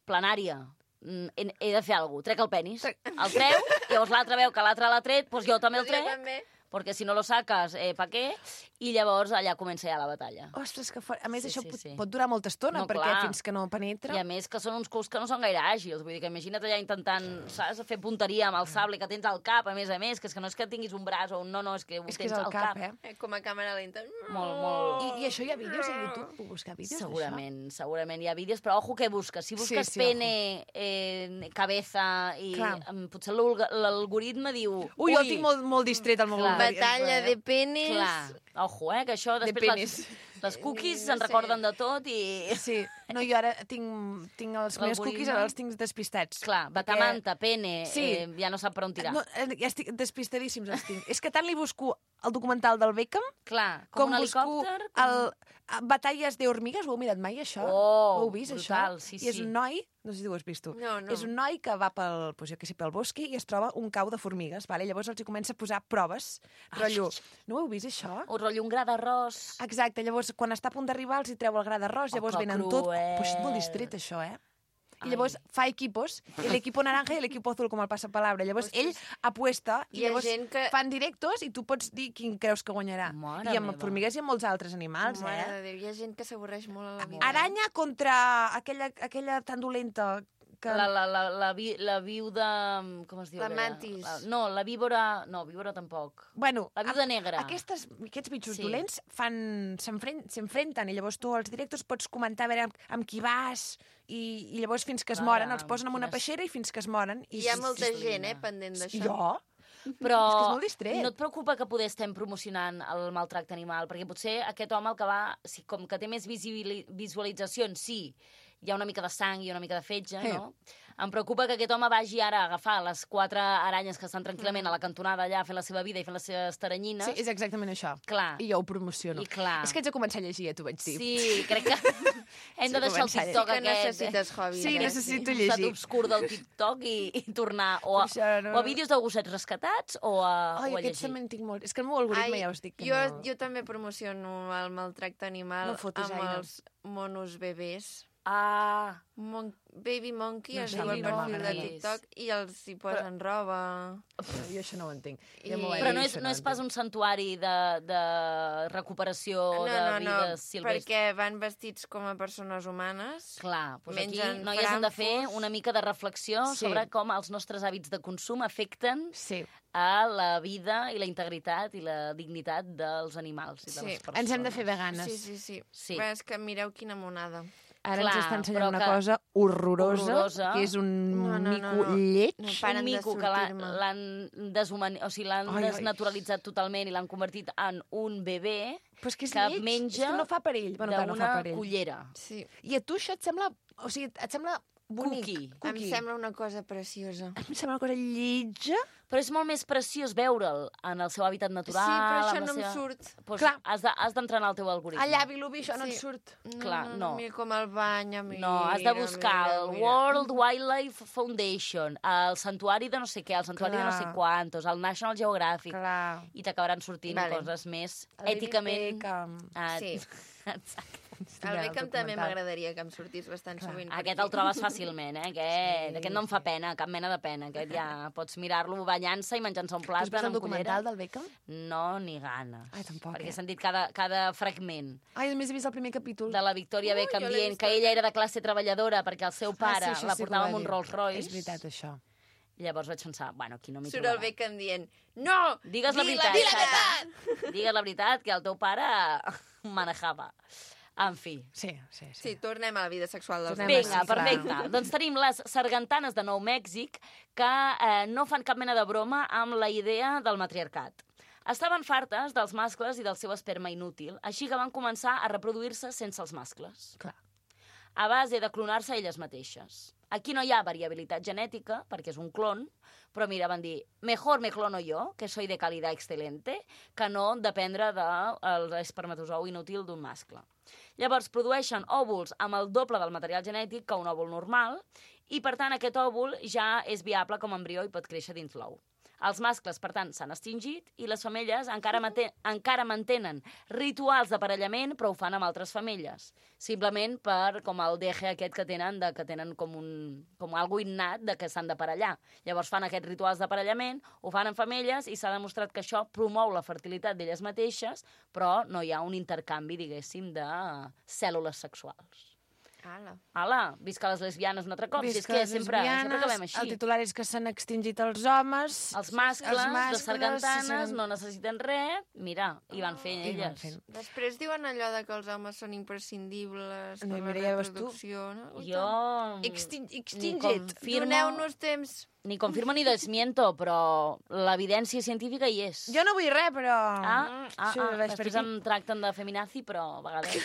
planària, he de fer alguna cosa, trec el penis. El treu, llavors l'altre veu que l'altre l'ha tret, doncs jo també el trec, perquè si no lo saques, pa què? I llavors allà comença ja la batalla. Ostres, que fort. A més, Sí, això sí. pot durar molta estona, No, perquè clar. fins que no penetra... I a més que són uns cucs que no són gaire àgils, vull dir que imagina't allà intentant, saps, fer punteria amb el sable que tens al cap, a més, que no és que tinguis un braç o un... No, és que ho És que tens és al al cap, cap. Com a càmera lenta. Molt. I això hi ha vídeos a YouTube? Puc buscar vídeos Segurament hi ha vídeos, però ojo què busques. Si busques pene, cabeza i potser l'algoritme diu... Ui, jo el tinc molt distret al meu Batalla de penis. Clar, ojo, que això després les cookies se'n recorden de tot i... Sí, no, jo ara tinc els meus cookies, ara els tinc despistats. Clar, batamanta, pene, Sí. ja no sap per on tirar. No, ja estic despistadíssims els tinc. És que tant li busco el documental del Beckham Clar, com un busco helicòpter... Batalles de hormigues. Ho heu mirat mai, això? Oh, ho heu vist, brutal, això? sí, I és sí. un noi, no sé si ho has vist tu, No. és un noi que va pel bosc i es troba un cau de formigues, vale? Llavors els hi comença a posar proves, rotllo. No ho heu vist, això? O rotllo un gra d'arròs. Exacte, llavors quan està a punt d'arribar els hi treu el gra d'arròs, llavors que venen tot... cruel. Pues és molt distret, això, eh? I llavors fa equipos, el equipo naranja i el equipo azul, com el passapalabra. Llavors ell apuesta i Hi ha llavors gent que- fan directos i tu pots dir quin creus que guanyarà. Mare I amb meva. formigues i amb molts altres animals, Mare eh? de Déu, hi ha gent que s'avorreix molt a la vida. Aranya contra aquella tan dolenta que... La viuda... Com es diu? La aquella? mantis. No, la víbora... No, víbora tampoc. Bueno, La viuda negra. Aquests bitxos Sí. dolents s'enfrenten i llavors tu als directos pots comentar a veure amb qui vas i llavors fins que es moren, els posen en una quines- peixera i fins que es moren. Hi ha molta gent, pendent d'això. Jo? Però És que és molt distret. no et preocupa que poder estem promocionant el maltracte animal? Perquè potser aquest home el que va... Com que té més visualitzacions, sí, hi ha una mica de sang i una mica de fetge, no? Em preocupa que aquest home vagi ara a agafar les 4 aranyes que estan tranquil·lament a la cantonada allà fent la seva vida i fent les seves taranyines. Sí, és exactament això. Clar. I jo ho promociono. I clar. És que haig de començar a llegir, t'ho vaig dir. Sí, crec que hem de deixar el començar a TikTok que aquest. necessites hobby. Sí, necessito llegir. L'estat obscur del TikTok i tornar o a vídeos de gossets rescatats o a Aquests llegir. també en tinc molt. És que el meu algoritme ja us dic que no... Jo també promociono el maltracte animal No fotis, amb Aina. els monos bebès. Ah, Baby Monkey, No es sé, diu a el mi no perfil de m'agrada. TikTok, i els hi posen roba. Jo això no ho entenc. però no és pas un santuari de recuperació de vides silvestres. Perquè van vestits com a persones humanes. Clar, doncs aquí, mengen noies, hem de fer frankfurts. una mica de reflexió Sí. sobre com els nostres hàbits de consum afecten Sí. a la vida i la integritat i la dignitat dels animals i de les persones. Ens hem de fer veganes. Sí. Sí. Però és que mireu quina monada. Ara Clar, ens està ensenyant però una que- cosa horrorosa, horrorosa. que és un No. mico lleig. No Un paren de mico que sortir-me. l'han o sigui, l'han Ai. desnaturalitzat totalment i l'han convertit en un bebè Però és que és que lleig. menja És que no fa per ell. Bueno, clar, no fa d'una per ell. cullera. Sí. I a tu això et sembla... O sigui, et sembla bonic? Cookie. Em sembla una cosa preciosa. Em sembla una cosa lletja. Però és molt més preciós veure'l en el seu hàbitat natural. Sí, però això amb la no em seva- surt. Pues Clar. has d'entrenar el teu algoritme. Allà, Vilobí, això no Sí. et surt. Clar, no. Mira com el banya, mira. No, has de buscar mira. el World Wildlife Foundation, el santuari de no sé què, el santuari de no sé Clar. quantos, el National Geographic, Clar. i t'acabaran sortint Vale. coses més El David èticament... Beckham. Sí. Exacte. El Beckham també m'agradaria que em sortís bastant sovint. per Aquest aquí. el trobes fàcilment, aquest no em fa pena, cap mena de pena. Aquest ja pots mirar-lo banyant-se i menjant-se un Has plat vist el amb documental cullera. del Beckham? No, ni ganes. Ai, tampoc, Perquè eh? he sentit cada fragment Ai, només he vist el primer capítol. de la Victoria Beckham jo l'he dient vist que ella era de classe treballadora perquè el seu pare Ah, sí, això la sí que ho portava va amb un dir. Rolls Royce. És veritat, això. Llavors vaig pensar, bueno, aquí no m'hi Surt el trobarà. Beckham dient, no, Digues la di veritat. Di la veritat! Digues la veritat, que el teu pare manejava. En fi. Sí. Sí, tornem a la vida sexual dels Tornem a Vinga, xifrar. perfecte. Doncs tenim les sargantanes de Nou Mèxic que no fan cap mena de broma amb la idea del matriarcat. Estaven fartes dels mascles i del seu esperma inútil, així que van començar a reproduir-se sense els mascles. Clar. A base de clonar-se elles mateixes. Aquí no hi ha variabilitat genètica, perquè és un clon, però mira, van dir, mejor me clono yo, que soy de calidad excelente, que no dependre de l'espermatozou inútil d'un mascle. Llavors, produeixen òvuls amb el doble del material genètic que un òvul normal i, per tant, aquest òvul ja és viable com a embrió i pot créixer dins l'ou. Els mascles, per tant, s'han extingit i les femelles encara mantenen rituals d'aparellament, però ho fan amb altres femelles. Simplement per, com el deje aquest que tenen com algo innat de que s'han d'aparellar. Llavors fan aquests rituals d'aparellament, ho fan amb femelles i s'ha demostrat que això promou la fertilitat d'elles mateixes, però no hi ha un intercanvi, diguéssim, de cèl·lules sexuals. Ala, visca les lesbianes un altre cop. Si és que sempre acabem així. El titular és que s'han extingit els homes. Els mascles de sí, sargantanes no necessiten res, mira, i van fent I van elles. fent. Després diuen allò de que els homes són imprescindibles No, per la mira, ja veus tu. reproducció. No? Jo ni Extingit. Doneu-nos temps. ni confirmo ni desmiento, però l'evidència científica hi és. Jo no vull res, però... Sí, vaig per després aquí. em tracten de feminazi, però a vegades...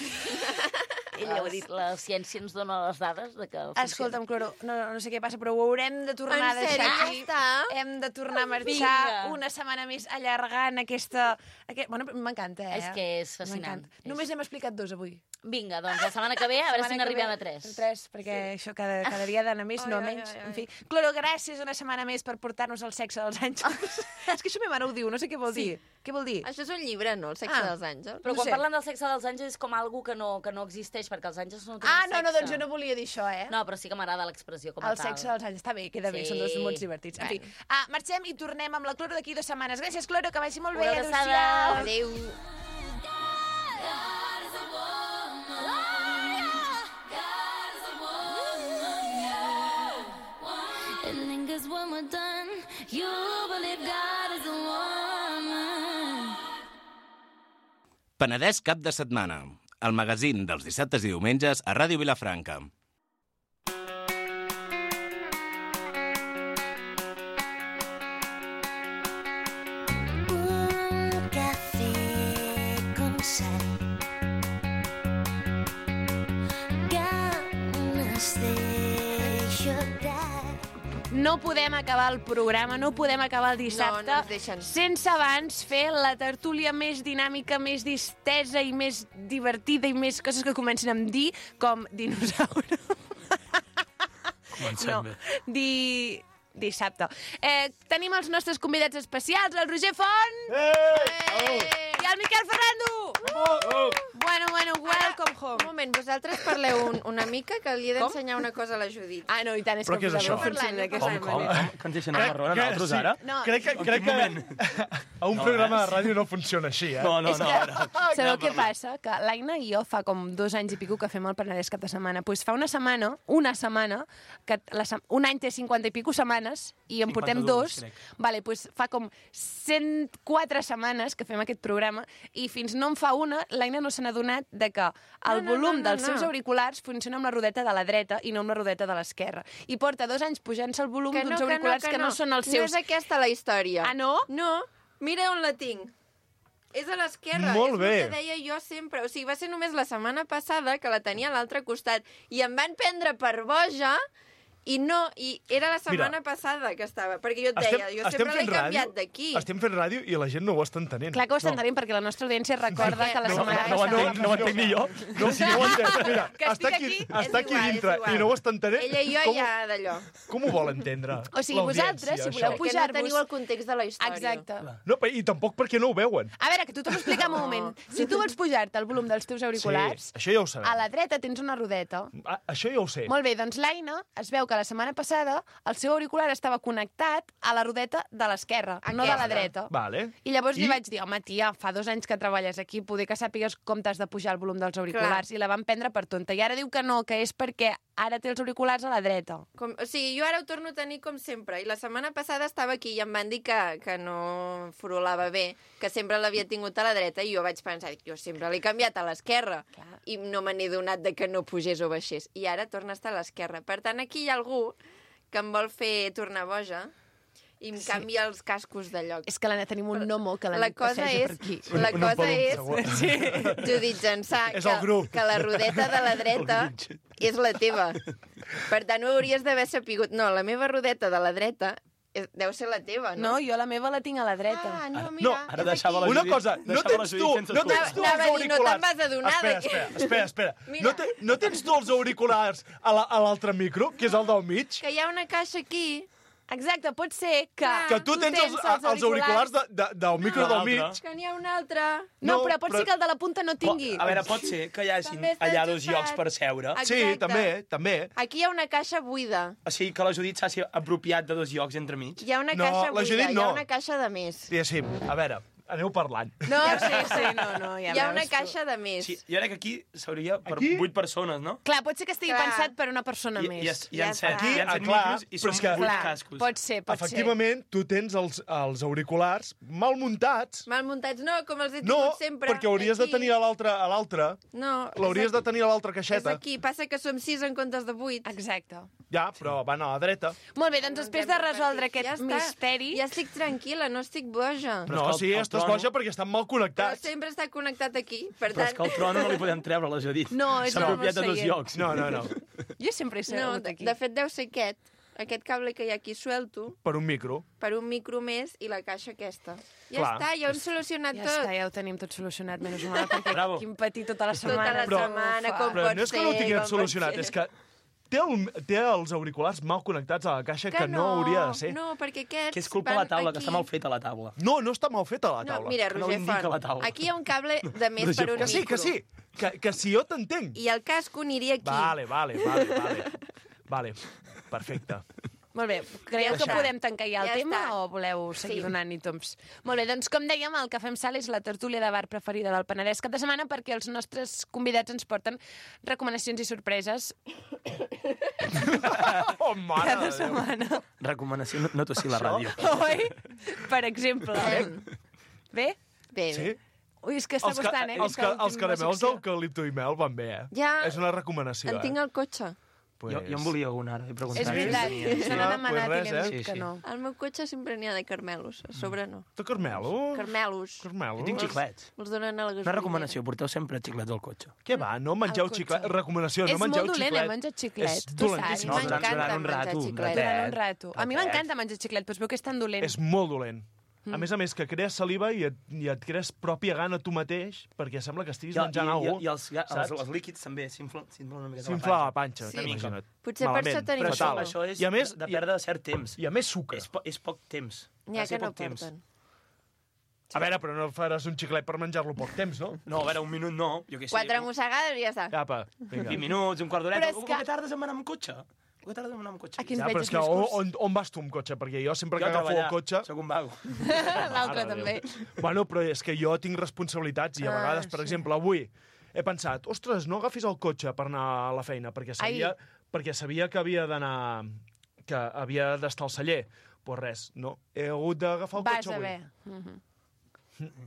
Ella ho ha dit, la ciència ens dona les dades de que funciona. Escolta'm, Cloro, no sé què passa, però ho haurem de tornar a En deixar sèrio? aquí. Ja està? Hem de tornar a marxar Vinga. una setmana més allargant aquesta... Bueno, m'encanta, És que és fascinant. M'encanta. Només hem explicat 2 avui. Vinga, doncs la setmana que ve, a veure si n'arribem a 3. 3, perquè això cada dia ha d'anar més, no menys. En fi, Cloro, gràcies una setmana més per portar-nos el sexe dels àngels. És que això ma mare ho diu, no sé què vol dir. Què vol dir? Això és un llibre, no? El sexe dels àngels. Però No quan sé. parlen del sexe dels àngels és com algo que no existeix, perquè els àngels no tenen No, sexe. doncs jo no volia dir això, eh? No, però sí que m'agrada l'expressió com a El tal. sexe dels àngels. Està bé, queda bé, Sí. són dos mots divertits. En fi, marxem i tornem amb la Cloro d'aquí 2 setmanes. Gràcies, Cloro, que vagi molt bé. Una abraçada. Adéu-siau. Adéu. It lingers when we're done. You believe God is a woman. Penedès cap de setmana. El magazín dels dissabtes i diumenges a Ràdio Vilafranca. pasar. Ganas de llorar. No podem acabar el programa, no podem acabar el dissabte No ens deixen. sense abans fer la tertúlia més dinàmica, més distesa i més divertida i més coses que comencin amb dir, com dinosaure. Comencem bé. Dissabte. Tenim els nostres convidats especials, el Roger Font i el Miquel Ferrando. Bueno, welcome home. Un moment, vosaltres parleu una mica, que li he d'ensenyar una cosa a la Judit. Ah, no, i tant, és Però que què és posar-lo això? funcionant d'aquesta Com? manera. Que ens deixen anar marrona nosaltres, ara? No, Crec que a un programa de ràdio no funciona així, eh? No, és que, ara. sabeu què passa? Que l'Aina i jo fa com 2 anys i pico que fem el Penedès cap de setmana. Pues fa una setmana, que un any té 50 i pico setmanes i en portem 52, 2. crec. Vale, pues fa com 104 setmanes que fem aquest programa i fins no en fa una, l'Aina no se n'ha adonat de que el volum dels seus auriculars funciona amb la rodeta de la dreta i no amb la rodeta de l'esquerra. I porta 2 anys pujant-se el volum d'uns auriculars que no són els seus. No és aquesta la història. Ah, no? No, mira on la tinc. És a l'esquerra. Molt bé. És el que deia jo sempre. O sigui, va ser només la setmana passada que la tenia a l'altre costat i em van prendre per boja i no, i era la setmana passada que estava, perquè jo et deia, jo sempre l'he canviat d'aquí. Estem fent ràdio i la gent no ho està entenent. Clar que ho està entenent, perquè la nostra audiència recorda que la setmana No ho entenc ni jo. No, si no ho entens. Mira, Que està estic aquí, aquí. està aquí És dintre igual. i no ho està entenent. Ella i jo com, ja d'allò. Com ho vol entendre? O sigui, l'audiència, vosaltres, si això? voleu Perquè no pujar-vos... teniu el context de la història. Exacte. No, i tampoc perquè no ho veuen. A veure, que tu t'ho explica un moment. Si tu vols pujar-te el volum dels teus auriculars, Sí, això ja ho sabem. a la dreta tens una rodeta. Això ja ho sé. Molt bé, doncs l'Aina es veu que la setmana passada el seu auricular estava connectat a la rodeta de l'esquerra, no de la dreta. Vale. I llavors li vaig dir, home, tia, fa 2 anys que treballes aquí, poder que sàpigues com t'has de pujar el volum dels auriculars. I la van prendre per tonta. I ara diu que no, que és perquè ara té els auriculars a la dreta. O sigui, jo ara ho torno a tenir com sempre. I la setmana passada estava aquí i em van dir que no furolava bé, que sempre l'havia tingut a la dreta, i jo vaig pensar, jo sempre l'he canviat a l'esquerra. I no me n'he donat de que no pugés o baixés. I ara torna a estar a l'esquerra. Per tant, aquí hi ha algú que em vol fer tornar boja i em canvia els cascos de lloc. És que tenim un gnomo que La cosa és, Judit Jansà, És el grup. que la rodeta de la dreta és la teva. Per tant, ho hauries d'haver sapigut. No, la meva rodeta de la dreta deu ser la teva, no? No, jo la meva la tinc a la dreta. Ah, no, No, mira, ara és deixava aquí. la Una cosa, no tens tu els Anava a dir, no te'n vas adonar de Espera. Mira. No tens tu els auriculars a l'altre micro, que és el del mig? Que hi ha una caixa aquí. Exacte, pot ser que... Que tu tens els auriculars del micro del mig. Que n'hi ha un altre. No, però pot ser que el de la punta no tingui. A veure, pot ser que hi hagi També està allà 2 enxufat. llocs per seure. Sí, Exacte. també. Aquí hi ha una caixa buida. O sigui, que la Judit s'ha apropiat de 2 llocs entremig. Hi ha una No, caixa la buida, Judit hi ha no. una caixa de més. Diguéssim, a veure, aneu parlant. No, sí, no, ja Hi ha veus una tu. caixa de més. Sí, jo crec que aquí s'hauria per Aquí? 8 persones, no? Clar, pot ser que estigui Clar. pensat per una persona més. Hi ha Ja 7 està. Clar, micros i però són és que- 8 Clar, cascos. pot ser. Efectivament, tu tens els auriculars mal muntats. Mal muntats, no, com els he tingut No, sempre. perquè hauries de Aquí. tenir a l'altre. No, L'hauries de tenir a l'altra És caixeta. aquí, passa que som 6 en comptes de 8. Exacte. Ja, però van a la dreta. Molt bé, doncs després de resoldre aquest misteri... Ja estic tranquil·la, no estic boja. Però No, és que sí, el estàs trono- boja perquè estan mal Però connectats. sempre està connectat aquí, per Però és tant... que el trono no li podem treure, la Judit. No, és S'ha el apropiat de 2 seient. llocs. No. Jo sempre he No, segut aquí. de fet deu ser aquest cable que hi ha aquí suelto, Per un micro. per un micro més i la caixa aquesta. Ja Clar. està, ja ho hem solucionat Ja tot. està, ja ho tenim tot solucionat, menys mal, perquè Bravo. quin patir tota la Tota setmana. la setmana, com Però pot no és que no ho ser, tinguem com pot solucionat, ser. és que té els auriculars mal connectats a la caixa que no hauria de ser. No, perquè aquests Que és culpa de van la taula, aquí. que està mal feta la taula. No està mal feta la No, taula. mira, Que no Roger l'indica la Font, taula. aquí hi ha un cable de més Roger per un Que sí, micro. que sí. Que si jo t'entenc. I el casco aniria aquí. Vale. Perfecte. Molt bé, creieu Ja que està. podem tancar ja el Ja tema està. o voleu seguir Sí. donant-hi toms? Molt bé, doncs com dèiem, el que fem sal és la tertúlia de bar preferida del Penedès cap de setmana perquè els nostres convidats ens porten recomanacions i sorpreses Oh, mare cada de Déu. setmana. Recomanació, no tossi la ràdio. Oi? Per exemple. Bé? Bé, Sí? Ui, és que està costant, eh? Els caramels d'eucalipto i mel van bé, eh? Ja. És una recomanació, en tinc al cotxe. Jo en volia una ara, he preguntat. És veritat, se l'ha demanat i li hem dit que no. Al meu cotxe sempre n'hi ha de carmelos, a sobre no. De carmelo? Carmelos. Jo tinc xiclets. Els donen a la gasolinera. Una recomanació, porteu sempre xiclets al cotxe. Què va? No mengeu xiclet. Recomanació, no mengeu xiclet. És molt dolent, menjar xiclet. És dolentíssim. No, durant un rato. Durant un rato. A mi m'encanta menjar xiclet, però es veu que és tan dolent. És molt dolent. A més, que crees saliva i et crees pròpia gana tu mateix, perquè sembla que estiguis menjant alguna cosa. I els líquids també s'inflen una miqueta s'infla la panxa, Sí. imagina't. Potser per això tenim Però por. això és I a més, de perdre cert temps. I a més sucre. És poc temps. N'hi ha que no porten. A veure, però no faràs un xiclet per menjar-lo poc temps, no? No, a veure, un minut no. Jo què sé. 4 mossegades i ja està. Apa, vinga. 20 minuts, un quart d'horeta. Però és que- Que tardes en anar amb cotxe? Que tardes en anar amb cotxe? A quins Ja, però veig és que els meus curs? on vas tu amb cotxe? Perquè jo sempre que Jo a agafo el treballar. cotxe... Soc un vago. L'altre Mare de també. Déu. Bueno, però és que jo tinc responsabilitats i a vegades, per exemple, avui he pensat, ostres, no agafis el cotxe per anar a la feina, perquè sabia que havia d'anar... que havia d'estar al celler. Pues res, no. He hagut d'agafar el Vas cotxe avui. haver.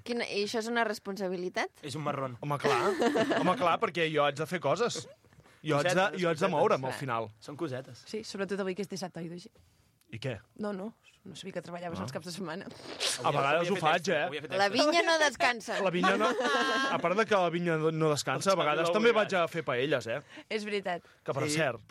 I això és una responsabilitat? És un marrón. Home, clar, perquè jo haig de fer coses. Jo haig de moure'm, al final. Són cosetes. Sí, sobretot avui que és dissabte, oi, Dogi? I què? No sabia que treballaves els caps de setmana. A vegades ho faig, La vinya no descansa. La vinya no... A part de que la vinya no descansa, a vegades també vaig a fer paelles, És veritat. Que, per cert,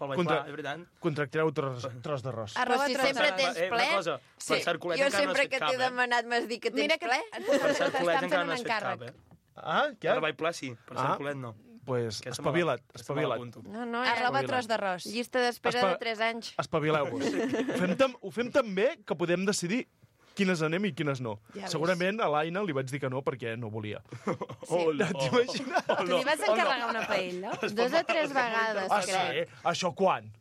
contractareu tros d'arròs. Però si sempre tens ple... Una cosa, per Cercolet Jo encara no has sempre fet que cap, t'he demanat m'has dit que tens Mira que ple. Per Cercolet t'estan encara fent no un has fet cap, encàrrec. Ah, què? Per Vall Pla sí, per Cercolet no. Pues Aquesta espavila't, me espavila't. l'apunto. No, Arroba tros d'arròs. Llista d'espera de 3 anys. Espavileu-vos. Ho fem tan bé que podem decidir quines anem i quines no. Ja Segurament a l'Aina li vaig dir que no perquè no volia. T'imagines? Tu li vas encarregar una paella? 2 o 3 vegades, Ah, crec. sí? Això quan?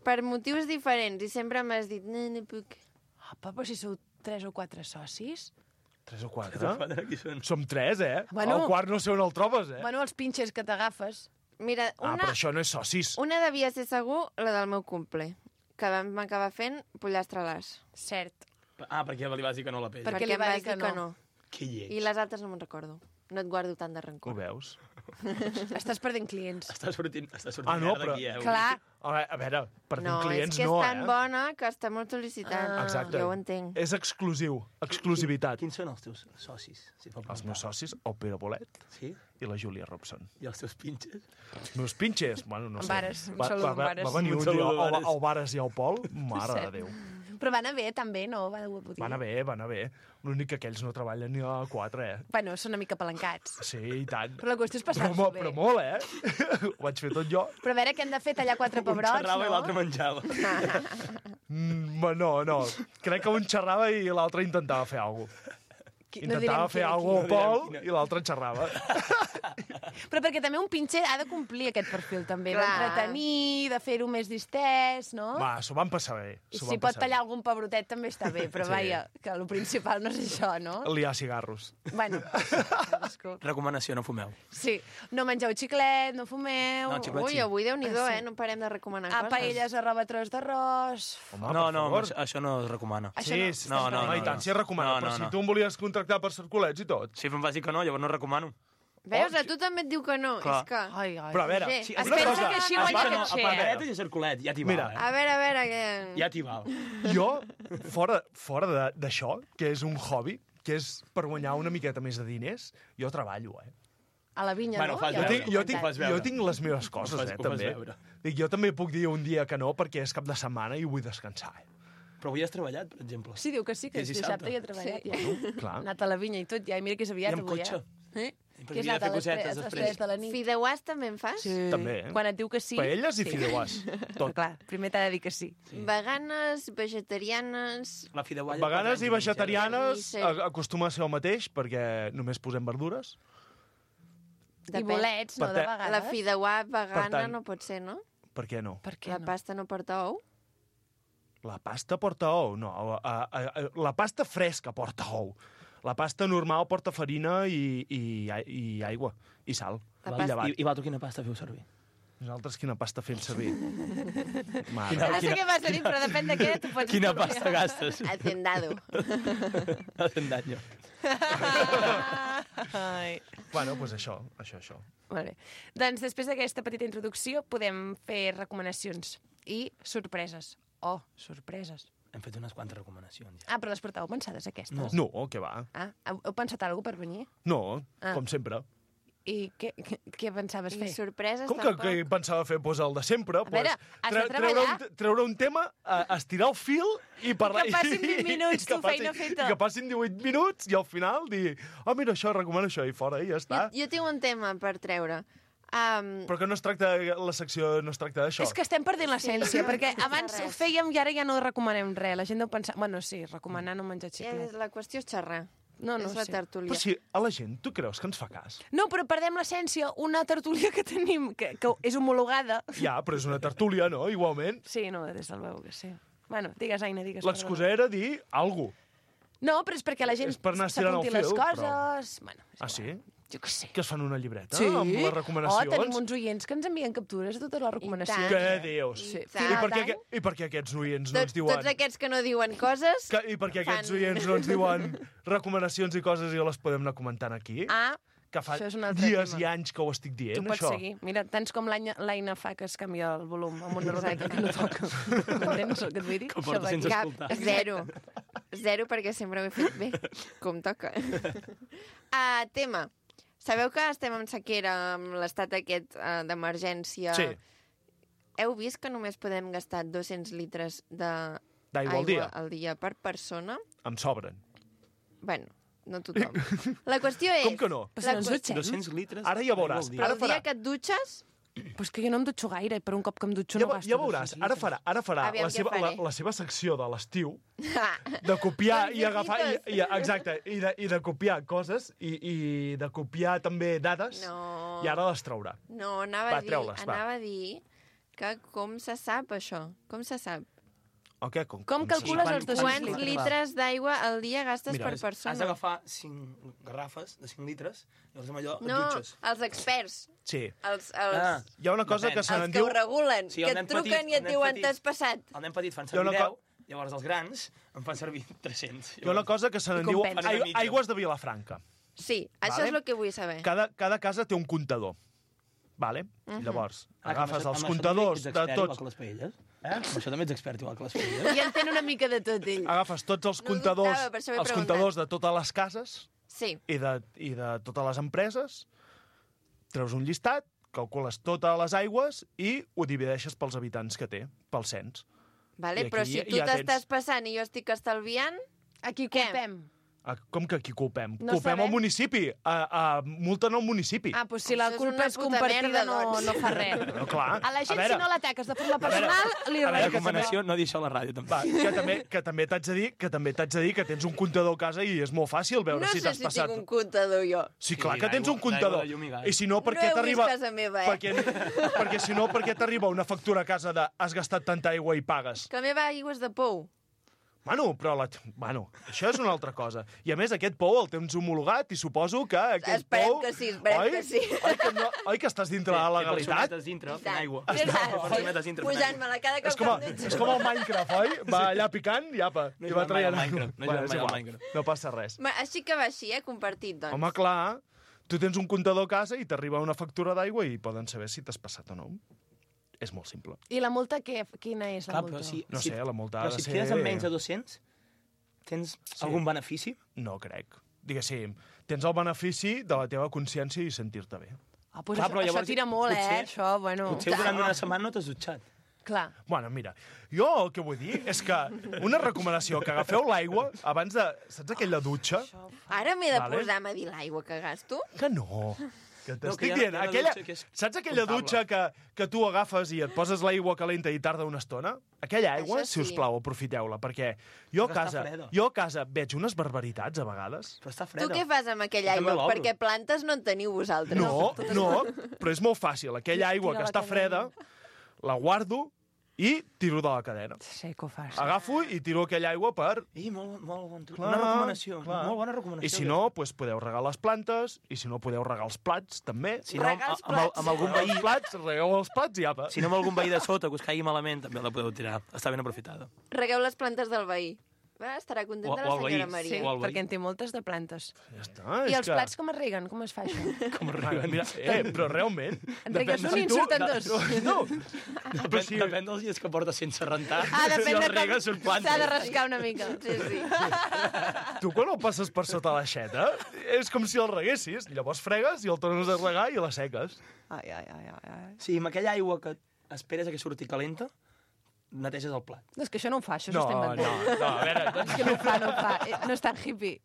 Per motius diferents, i sempre m'has dit, no puc. Apa, però si sou 3 o 4 socis? 3 o 4? Qui són? Som 3, eh? Bueno. El quart no sé on el trobes, eh? Bueno, els pinxes que t'agafes. Mira, Però això no és socis. una devia ser segur la del meu cumple, que vam acabar fent pollastre-les. Cert. Ah, perquè li vas dir que no a la pell. Per- Perquè li em va vas dir que dir que no. no. Que lleig. I les altres no me'n recordo. No et guardo tant de Ho rancor. veus? Estàs perdent clients. Està sortint Ah, no, merda però- aquí, Clar. A veure, per No, clients és que no, és tan eh? bona que està molt sol·licitant. Exacte. Jo ho entenc. És exclusiu, exclusivitat. Quins són els teus socis? Si pot Els meus socis, el Pere Bolet Sí? i la Júlia Robson. I els teus pinxes? Els meus pinxes, bueno, no sé. Vares, un saludo, Vares. Va venir Un un dia saludo, Vares. el Vares i el Pol, mare de Cert. Déu. Però van a bé, també, no? Va dir. Van a bé. L'únic que aquells no treballen ni a 4, eh? Bueno, són una mica palancats. Sí, i tant. Però la qüestió és passar-s'ho bé. Però molt, eh? Ho vaig fer tot jo. Però a veure què han de fer, tallar 4 pebrots, Xerrava i l'altre no? menjava. No. Crec que un xerrava i l'altre intentava fer alguna cosa. Intentava fer alguna cosa al Pol i l'altre xerrava. Però perquè també un pinxer ha de complir aquest perfil, també. Clar. D'entretenir, de fer-ho més distès, no? Va, s'ho van passar bé. I si pot tallar algun pebrotet també està bé, però Sí. vaja, que el principal no és això, no? Liar cigarros. Bueno, cadascú. Recomanació, no fumeu. Sí, no mengeu xiclet, no fumeu... No, xiclet Ui, avui Déu-n'hi-do, No parem de recomanar A coses. paelles arroba tros d'arròs... Home, No, per no, favor. això no es recomana. Això Sí, no. No, i tant, sí es recomana. No, Però no, si no. tu em volies contractar per Cercolets i tot. Si em vas dir que no, llavors no recomano. Veus, a tu també et diu que no. Clar. És que... Ai. Però a veure, Sí. Es una pensa cosa, que així A guanya part, aquest a xer. Panderetes i a Cercolet, ja t'hi val, Mira, eh? A veure, que... Ja t'hi val. jo, fora d'això, que és un hobby, que és per guanyar una miqueta més de diners, jo treballo, eh? A la vinya, Bueno, no? fas Ja ho veure. hem Jo comentat. tinc les meves coses, Ho fas també. veure. Dic, jo també puc dir un dia que no perquè és cap de setmana i vull descansar. Però avui has treballat, per exemple. Sí, diu que sí, que És és dissabte. dissabte i ha treballat. Sí. Ja. Clar. Ha anat a la vinya i tot, ja. I mira que és aviat I amb avui, cotxe. Eh? Perquè Que és havia de anat a fer les cosetes 3 després. de la nit. Fideuàs també en fas? Sí. També, eh? Quan et diu que sí... Paelles i fideuàs. Però Tot. clar, primer t'ha de dir que sí. Veganes, vegetarianes... La fideualla... Veganes i vegetarianes Sí. acostuma a ser el mateix perquè només posem verdures. I bolets, no, Per de te- vegades. La fideuà Per vegana tant- no pot ser, no? Per què no? Per què La no? pasta no porta ou? La pasta porta ou? No, la pasta fresca porta ou. La pasta normal porta farina i aigua, i sal, La i pasta- llevat. I vosaltres quina pasta feu servir? Nosaltres quina pasta fem servir? Mare. No sé què vas a dir, però depèn de què tu pots... Quina pasta gastes? Hacendado. Hacendado. Ai. Bueno, doncs això. Molt bé. Doncs després d'aquesta petita introducció podem fer recomanacions i sorpreses. Oh, sorpreses. Hem fet unes quantes recomanacions. Ah, però les portàveu pensades, aquestes? No, què va? Ah, heu pensat alguna per venir? No, com sempre. I què pensaves fer? I sorpreses Com que pensava fer el de sempre? A veure, has de treballar. Treure un tema, estirar el fil i parlar... que passin 20 minuts, tu, feina feta. I que passin 18 minuts i al final dir mira això, recomano això, i fora, i ja està. Jo tinc un tema per treure. Però que no es tracta, la secció no es tracta d'això. És que estem perdent l'essència, perquè abans ho fèiem i ara ja no recomanem res. La gent deu pensar... Bueno, sí, recomanar no menjar xiclet. La qüestió és xerrar. No, és la tertúlia. Però si a la gent, tu creus que ens fa cas? No, però perdem l'essència. Una tertúlia que tenim, que és homologada... Ja, però és una tertúlia, no? Igualment. Sí, no, des del veu que sí. Bueno, digues, Aina, digues. L'excusa era dir alguna cosa. No, però és perquè la gent s'apunti les coses... Però... Bueno, ah, sí? Jo què sé. Que es fan una llibreta sí? amb les recomanacions? Tenim uns oients que ens envien captures de totes les recomanacions. Què dius? Sí. I per què aquests oients no ens diuen... Tots aquests que no diuen coses... I per què aquests oients no ens diuen recomanacions i coses i les podem anar comentant aquí? Que fa dies i anys que ho estic dient, això. Tu pots seguir. Mira, tants com l'Aina fa que es canvia el volum amb una roseta que no toca. M'entens el que et vull dir? Que porta sense escoltar. Zero, perquè sempre ho he fet bé, com toca. Tema. Sabeu que estem en sequera amb l'estat aquest d'emergència? Sí. Heu vist que només podem gastar 200 litres d'aigua al dia per persona? Em sobren. Bueno, no tothom. La qüestió és... Com que no? 200 litres? Ara ja veuràs. El dia que et dutxes... Però és que jo no em dutxo gaire, per un cop que em dutxo no gasto. Ja veuràs, ara farà la seva secció de l'estiu de copiar i agafar... Exacte, i de copiar coses i de copiar també dades i ara les traurà. No, anava a dir que com se sap això? Com se sap? Okay, com calcules els 200 Quants litres d'aigua al dia gastes per persona? Has d'agafar 5 garrafes de 5 litres i llavors amb allò et dutxes. No, els experts. Sí. Hi ha una cosa que se n'en diu... Els que ho regulen, que et truquen i et diuen t'has passat. El nen petit fan servir 10, llavors els grans en fan servir 300. Hi ha una cosa que se n'en diu aigües de Vilafranca. Sí, això és el que vull saber. Cada casa té un comptador. Vale? Llavors, agafes els comptadors de tots... Això també ets expert, igual que les filles. I entén una mica de tot, ell. Agafes tots els comptadors de totes les cases i de totes les empreses, treus un llistat, calcules totes les aigües i ho divideixes pels habitants que té, pel cens. Vale, però si tu t'estàs passant i jo estic estalviant, aquí culpem. Com que aquí culpem? Culpem el municipi. Multen el municipi. Doncs si la culpa és compartida no fa res. No, clar. A la gent, si no l'ataques de forma personal, li res. Recomanació, no dir això a la ràdio, també. Que també t'haig de dir que tens un comptador a casa i és molt fàcil veure si t'has passat. No sé si tinc un comptador, jo. Sí, clar que tens un comptador. I si no, per què t'arriba... No he vist casa meva, Perquè si no, per què t'arriba una factura a casa de has gastat tanta aigua i pagues? Que la meva aigua és de pou. Bueno, això és una altra cosa. I a més, aquest pou el tens homologat i suposo que aquest pou... Esperem que sí. Oi que estàs dintre de la legalitat? Personetes dintre, fent aigua. Posant-me-la cada cop que em dutxo. És com el Minecraft, oi? Va allà picant i apa. No va traient Minecraft. No passa res. Així que va així, compartit, doncs. Home, clar, tu tens un comptador a casa i t'arriba una factura d'aigua i poden saber si t'has passat o no. És molt simple. I la multa quina és, la multa? No sé, la multa ha de ser... Però si et quedes amb menys de 200, tens algun benefici? No crec. Diguéssim, tens el benefici de la teva consciència i sentir-te bé. Doncs això tira molt, això, bueno... Potser durant una setmana no t'has dutxat. Clar. Bueno, mira, jo el que vull dir és que una recomanació, que agafeu l'aigua abans de... Saps aquella dutxa? Ara m'he de posar a medir l'aigua que gasto? Que no... Que t'estic dient, saps aquella dutxa que tu agafes i et poses l'aigua calenta i tarda una estona? Aquella aigua, si us plau, aprofiteu-la, perquè jo a casa veig unes barbaritats a vegades. Però està freda. Tu què fas amb aquella aigua? Perquè plantes no en teniu vosaltres. No, però és molt fàcil. Aquella aigua que està freda, la guardo i tiro de la cadena. Sí que ho fas. Agafo i tiro aquella aigua per... Molt bon truc. Una recomanació. Molt bona recomanació. I si no, doncs podeu regar les plantes, i si no, podeu regar els plats, també. Si no, amb algun veí... Regueu els plats i apa. Si no, amb algun veí de sota que us caigui malament, també la podeu tirar. Està ben aprofitada. Regueu les plantes del veí. Estarà contenta O la el veí. senyora Maria. Sí, O el veí. perquè en té moltes de plantes. Ja està, I els plats com es reguen? Com es fa això? Com Mira, però realment... En regues un i en tu- surten dos. No, Depèn dels dies que porta sense rentar. Depèn si de els regues, com són plantes. s'ha de rascar una mica. Sí. tu quan el passes per sota l'aixeta, és com si el reguessis, llavors fregues i el tornes a regar i la seques. Ai. Sí, amb aquella aigua que esperes a que surti calenta, neteges el plat. No, és que això no ho fa, això No, s'està inventant. a veure, És que no ho fa. No és tan hippie.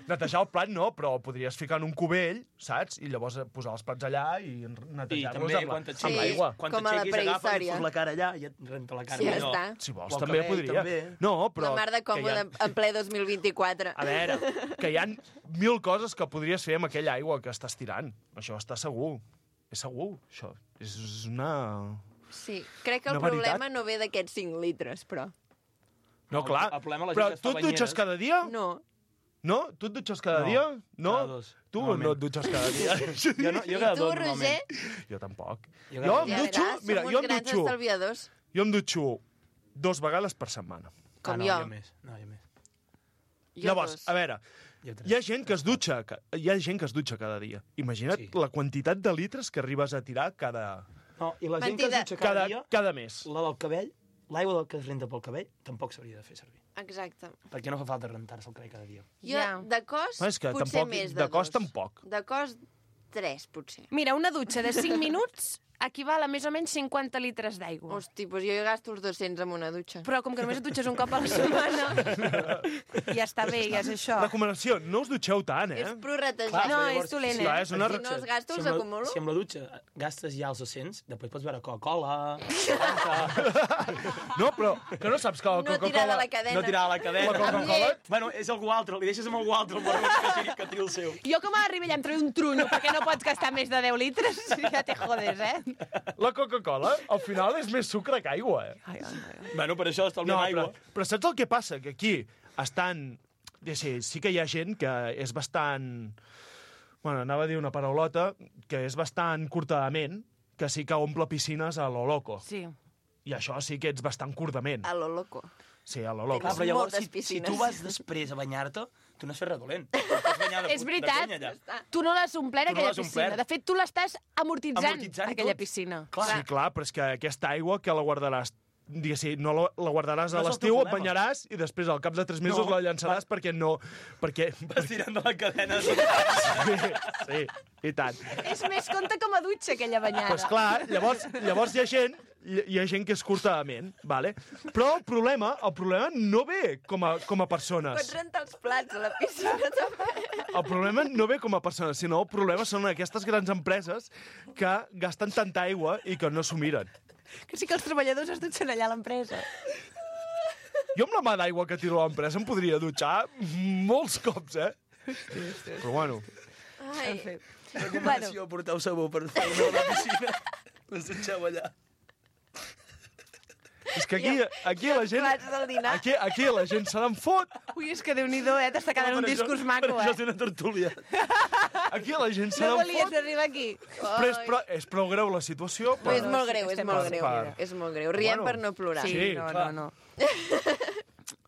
netejar el plat no, però podries ficar en un cubell, saps? I llavors posar els plats allà i I netejar-los també, amb quan amb t'aixequis, l'aigua. quan Com a la t'aixequis, agafa, prehistòria. fos la cara allà i et renta la cara. Sí, ja millor. està. Si vols, O el també cabell, podria. també. No, però... La mar de còmode en ple 2024. A veure, que hi ha 1000 coses que podries fer amb aquella aigua que estàs tirant. Això està segur. És segur, això. És una... Sí, crec que el Una veritat. problema no ve d'aquests 5 litres, però... No, clar. El problema la gent Però que es tu fa et dutxes banyeres. cada dia? No. No? Tu et dutxes cada No, dia? No? cada dos, Tu normalment. no et dutxes cada dia. I tu, Roger? Jo tampoc. Jo Jo cada em Ja dutxo... veràs, Mira, som jo uns em grans dutxo... estalviadors. Jo em dutxo 2 vegades per setmana. Com no, jo. Jo més. No, jo més. Jo Llavors, dos. a veure, Jo tres. hi ha gent que es dutxa, cada dia. Imagina't Sí. la quantitat de litres que arribes a tirar cada No, i la gent que es Mentida. dutxa cada dia, cada mes. la del cabell, l'aigua que es renta pel cabell, tampoc s'hauria de fer servir. Exacte. Perquè no fa falta rentar-se el cabell cada dia. Jo, Ja. de cost, És que potser tampoc, més de cost dos. tampoc. De cost, 3, potser. Mira, una dutxa de 5 minuts equival a més o menys 50 litres d'aigua. Hosti, doncs jo hi gasto els 200 en una dutxa. Però com que només et dutxes un cop a la setmana, ja està bé, ja és això. Recomanació, no us dutxeu tant, És eh? prorratejat. No, llavors, és dolent, Clar, eh? és una... Si no els gasto, els amb la- acumulo. Si amb la dutxa gastes ja els 200, després pots beure Coca-Cola... No, però que no saps que la No tirar de Coca-Cola... la cadena. No tirar a la cadena. La Coca-Cola... Bueno, és algú altre, li deixes amb algú altre el barbut que tiri el seu. Jo com a arribi allà em treu un trunyo perquè no pots gastar més de 10 litres, ja te jodes, eh? La Coca-Cola, al final, és més sucre que aigua, eh? Bueno, per això estalviem aigua. però saps el que passa? Que aquí estan... Sí que hi ha gent que és bastant... Bueno, anava a dir una paraulota, que és bastant curta de ment, que sí que omple piscines a lo loco. Sí. I això sí que ets bastant curt de ment. A lo loco. Sí, a lo loco. Clar, però llavors, moltes si piscines. tu vas després a banyar-te, tu no has fet res dolent. Pots banyar de És veritat, de penya allà. tu no l'has omplert, Tu no aquella l'has piscina. omplert. De fet, tu l'estàs amortitzant, Amortitzant aquella tot. piscina. Sí, clar, però és que aquesta aigua que la guardaràs diguéssim, no la guardaràs No a és el l'estiu, teu et problema. banyaràs i després al cap de 3 mesos No, la llançaràs perquè no... Perquè... Vas tirant de la cadena. Sí, i tant. És més, compta com a dutxa, aquella banyada. Pues clar, llavors hi ha gent que és curta de ment, vale? Però el problema no ve com a persones. Pots rentar els plats a la piscina, també. El problema no ve com a persones, sinó el problema són aquestes grans empreses que gasten tanta aigua i que no s'ho miren. Que sí que els treballadors es dutxen allà a l'empresa. Jo amb la mà d'aigua que tiro a l'empresa em podria dutxar molts cops, eh? Però bueno, Ai, Recomanació, porteu sabó per fer una a la piscina. Us dutxeu allà. és que aquí la gent... plats del dinar. Aquí la gent se n'en fot. Ui, és que Déu-n'hi-do, t'està quedant un discurs maco, Per això eh? és una tertúlia. Aquí la gent se No n'en volies fot. arribar aquí. Però és prou greu la situació. Però és però- molt greu, és estem molt per- greu. per- És molt greu. Riem Bueno, per no plorar. Sí, no, clar. no.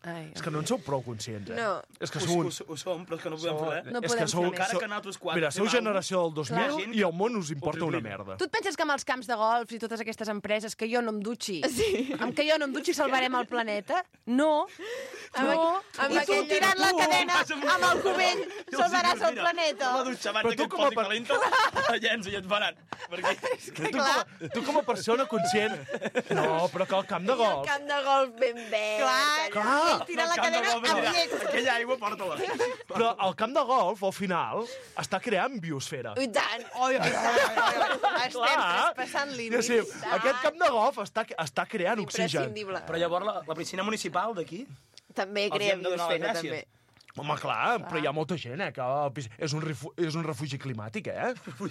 Ai, És que no en sou prou conscients, eh? No. És que sou... Ho som, però és que no podem fer res. No és podem que sou, fer més. Encara que nosaltres quatre Mira, sou fem generació del 2000 Clar. i el món us importa una merda. Tu et penses que amb els camps de golf i totes aquestes empreses que jo no em dutxi, amb que jo no em dutxi salvarem el planeta? No. No. amb I tu aquella- tirant la cadena amb el cubell I els salvaràs dius, el planeta. No la dutxa abans Però que tu et com a posi calenta, la llença i et faran. Perquè... Tu com a persona conscient... No, però que al camp de I el golf... camp de golf ben verd. Clar, Clar. tirant la el camp de cadena golf, amb mira, llet. aquella aigua, porta-la. Però el camp de golf, al final, està creant biosfera. I tant. Estem Clar. traspassant límits. Sí, aquest camp de golf està creant oxigen. Imprescindible. Però llavors la piscina municipal d'aquí... També Els crea hem de donar les biosfera, gràcies. també. Home, clar, però hi ha molta gent, que és un refugi climàtic, eh?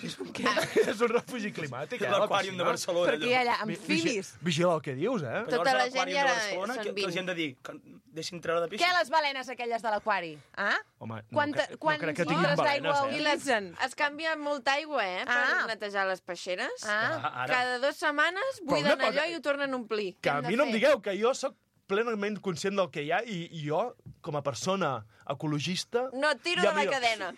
És un refugi climàtic, eh? L'aquàrium de Barcelona. Perquè hi ha allà amfibis. Vigila el que dius, eh? Però Tota llavors la gent l'aquàrium ja de era- Barcelona, són que els 20. hem de dir que deixin treure de Què piscina. les balenes aquelles de l'aquari? Ah? Home, no, Quants no crec que tinguin litres balenes, d'aigua eh? utilitzen? Es canvia molta aigua, per Ah. netejar les peixeres. Ah. Ara. Cada 2 setmanes Però buiden una cosa- allò i ho tornen a omplir. Que a mi no em digueu que jo sóc plenament conscient del que hi ha i jo, com a persona ecologista... No et tiro de la cadena.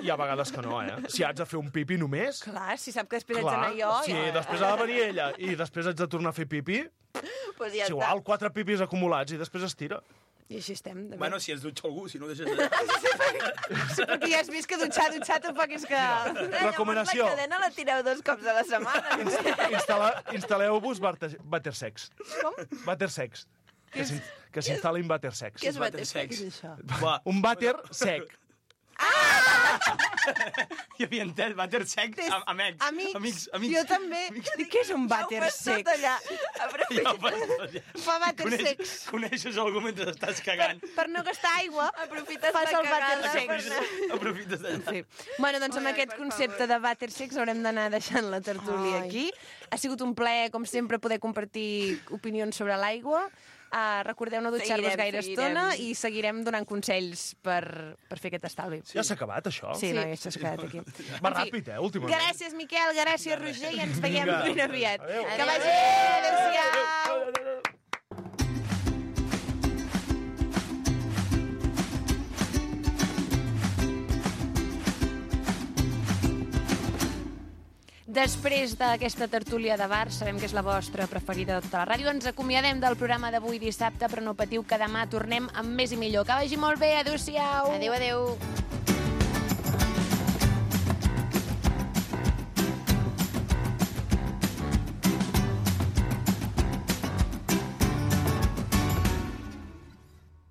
Hi ha vegades que no, eh? Si haig de fer un pipi només... Clar, si sap que després haig d'anar jo... Si després ha de venir ella i després haig de tornar a fer pipi, pues ja és igual, 4 pipis acumulats i després es tira. I així estem. També. Bueno, si es dutxa algú, si no deixes allà... Sí, perquè ja has vist que dutxar tampoc és que... Recomanació. La cadena la tireu 2 cops a la setmana. Instal·leu-vos Watersex. Com? Watersex. Que s'instal·lin Watersex. Què és Watersex? Què és això? Un vàter sec. Jo havia entès, vàter sec, amics. Jo també. Dic, què és un vàter sec? Fa vàter secs. Coneixes algú mentre estàs cagant. Per no gastar aigua, aprofites fas la el vàter cagada. secs. Aprofites d'allà. Bueno, doncs amb aquest concepte de vàter secs haurem d'anar deixant la tertúlia aquí. Ha sigut un plaer, com sempre, poder compartir opinions sobre l'aigua. Recordeu no dutxar-vos gaire estona i seguirem donant consells per fer aquest estalvi. Ja s'ha acabat, això? Sí, no, ja s'ha acabat aquí. Va ràpid, últimament. Gràcies, Miquel, gràcies, Roger, i ens veiem ben aviat. Adéu. Que vagi bé, adéu-siau. Després d'aquesta tertúlia de bar, sabem que és la vostra preferida de tota la ràdio, ens acomiadem del programa d'avui dissabte, però no patiu que demà tornem amb més i millor. Que vagi molt bé, adéu-siau. Adéu, adéu.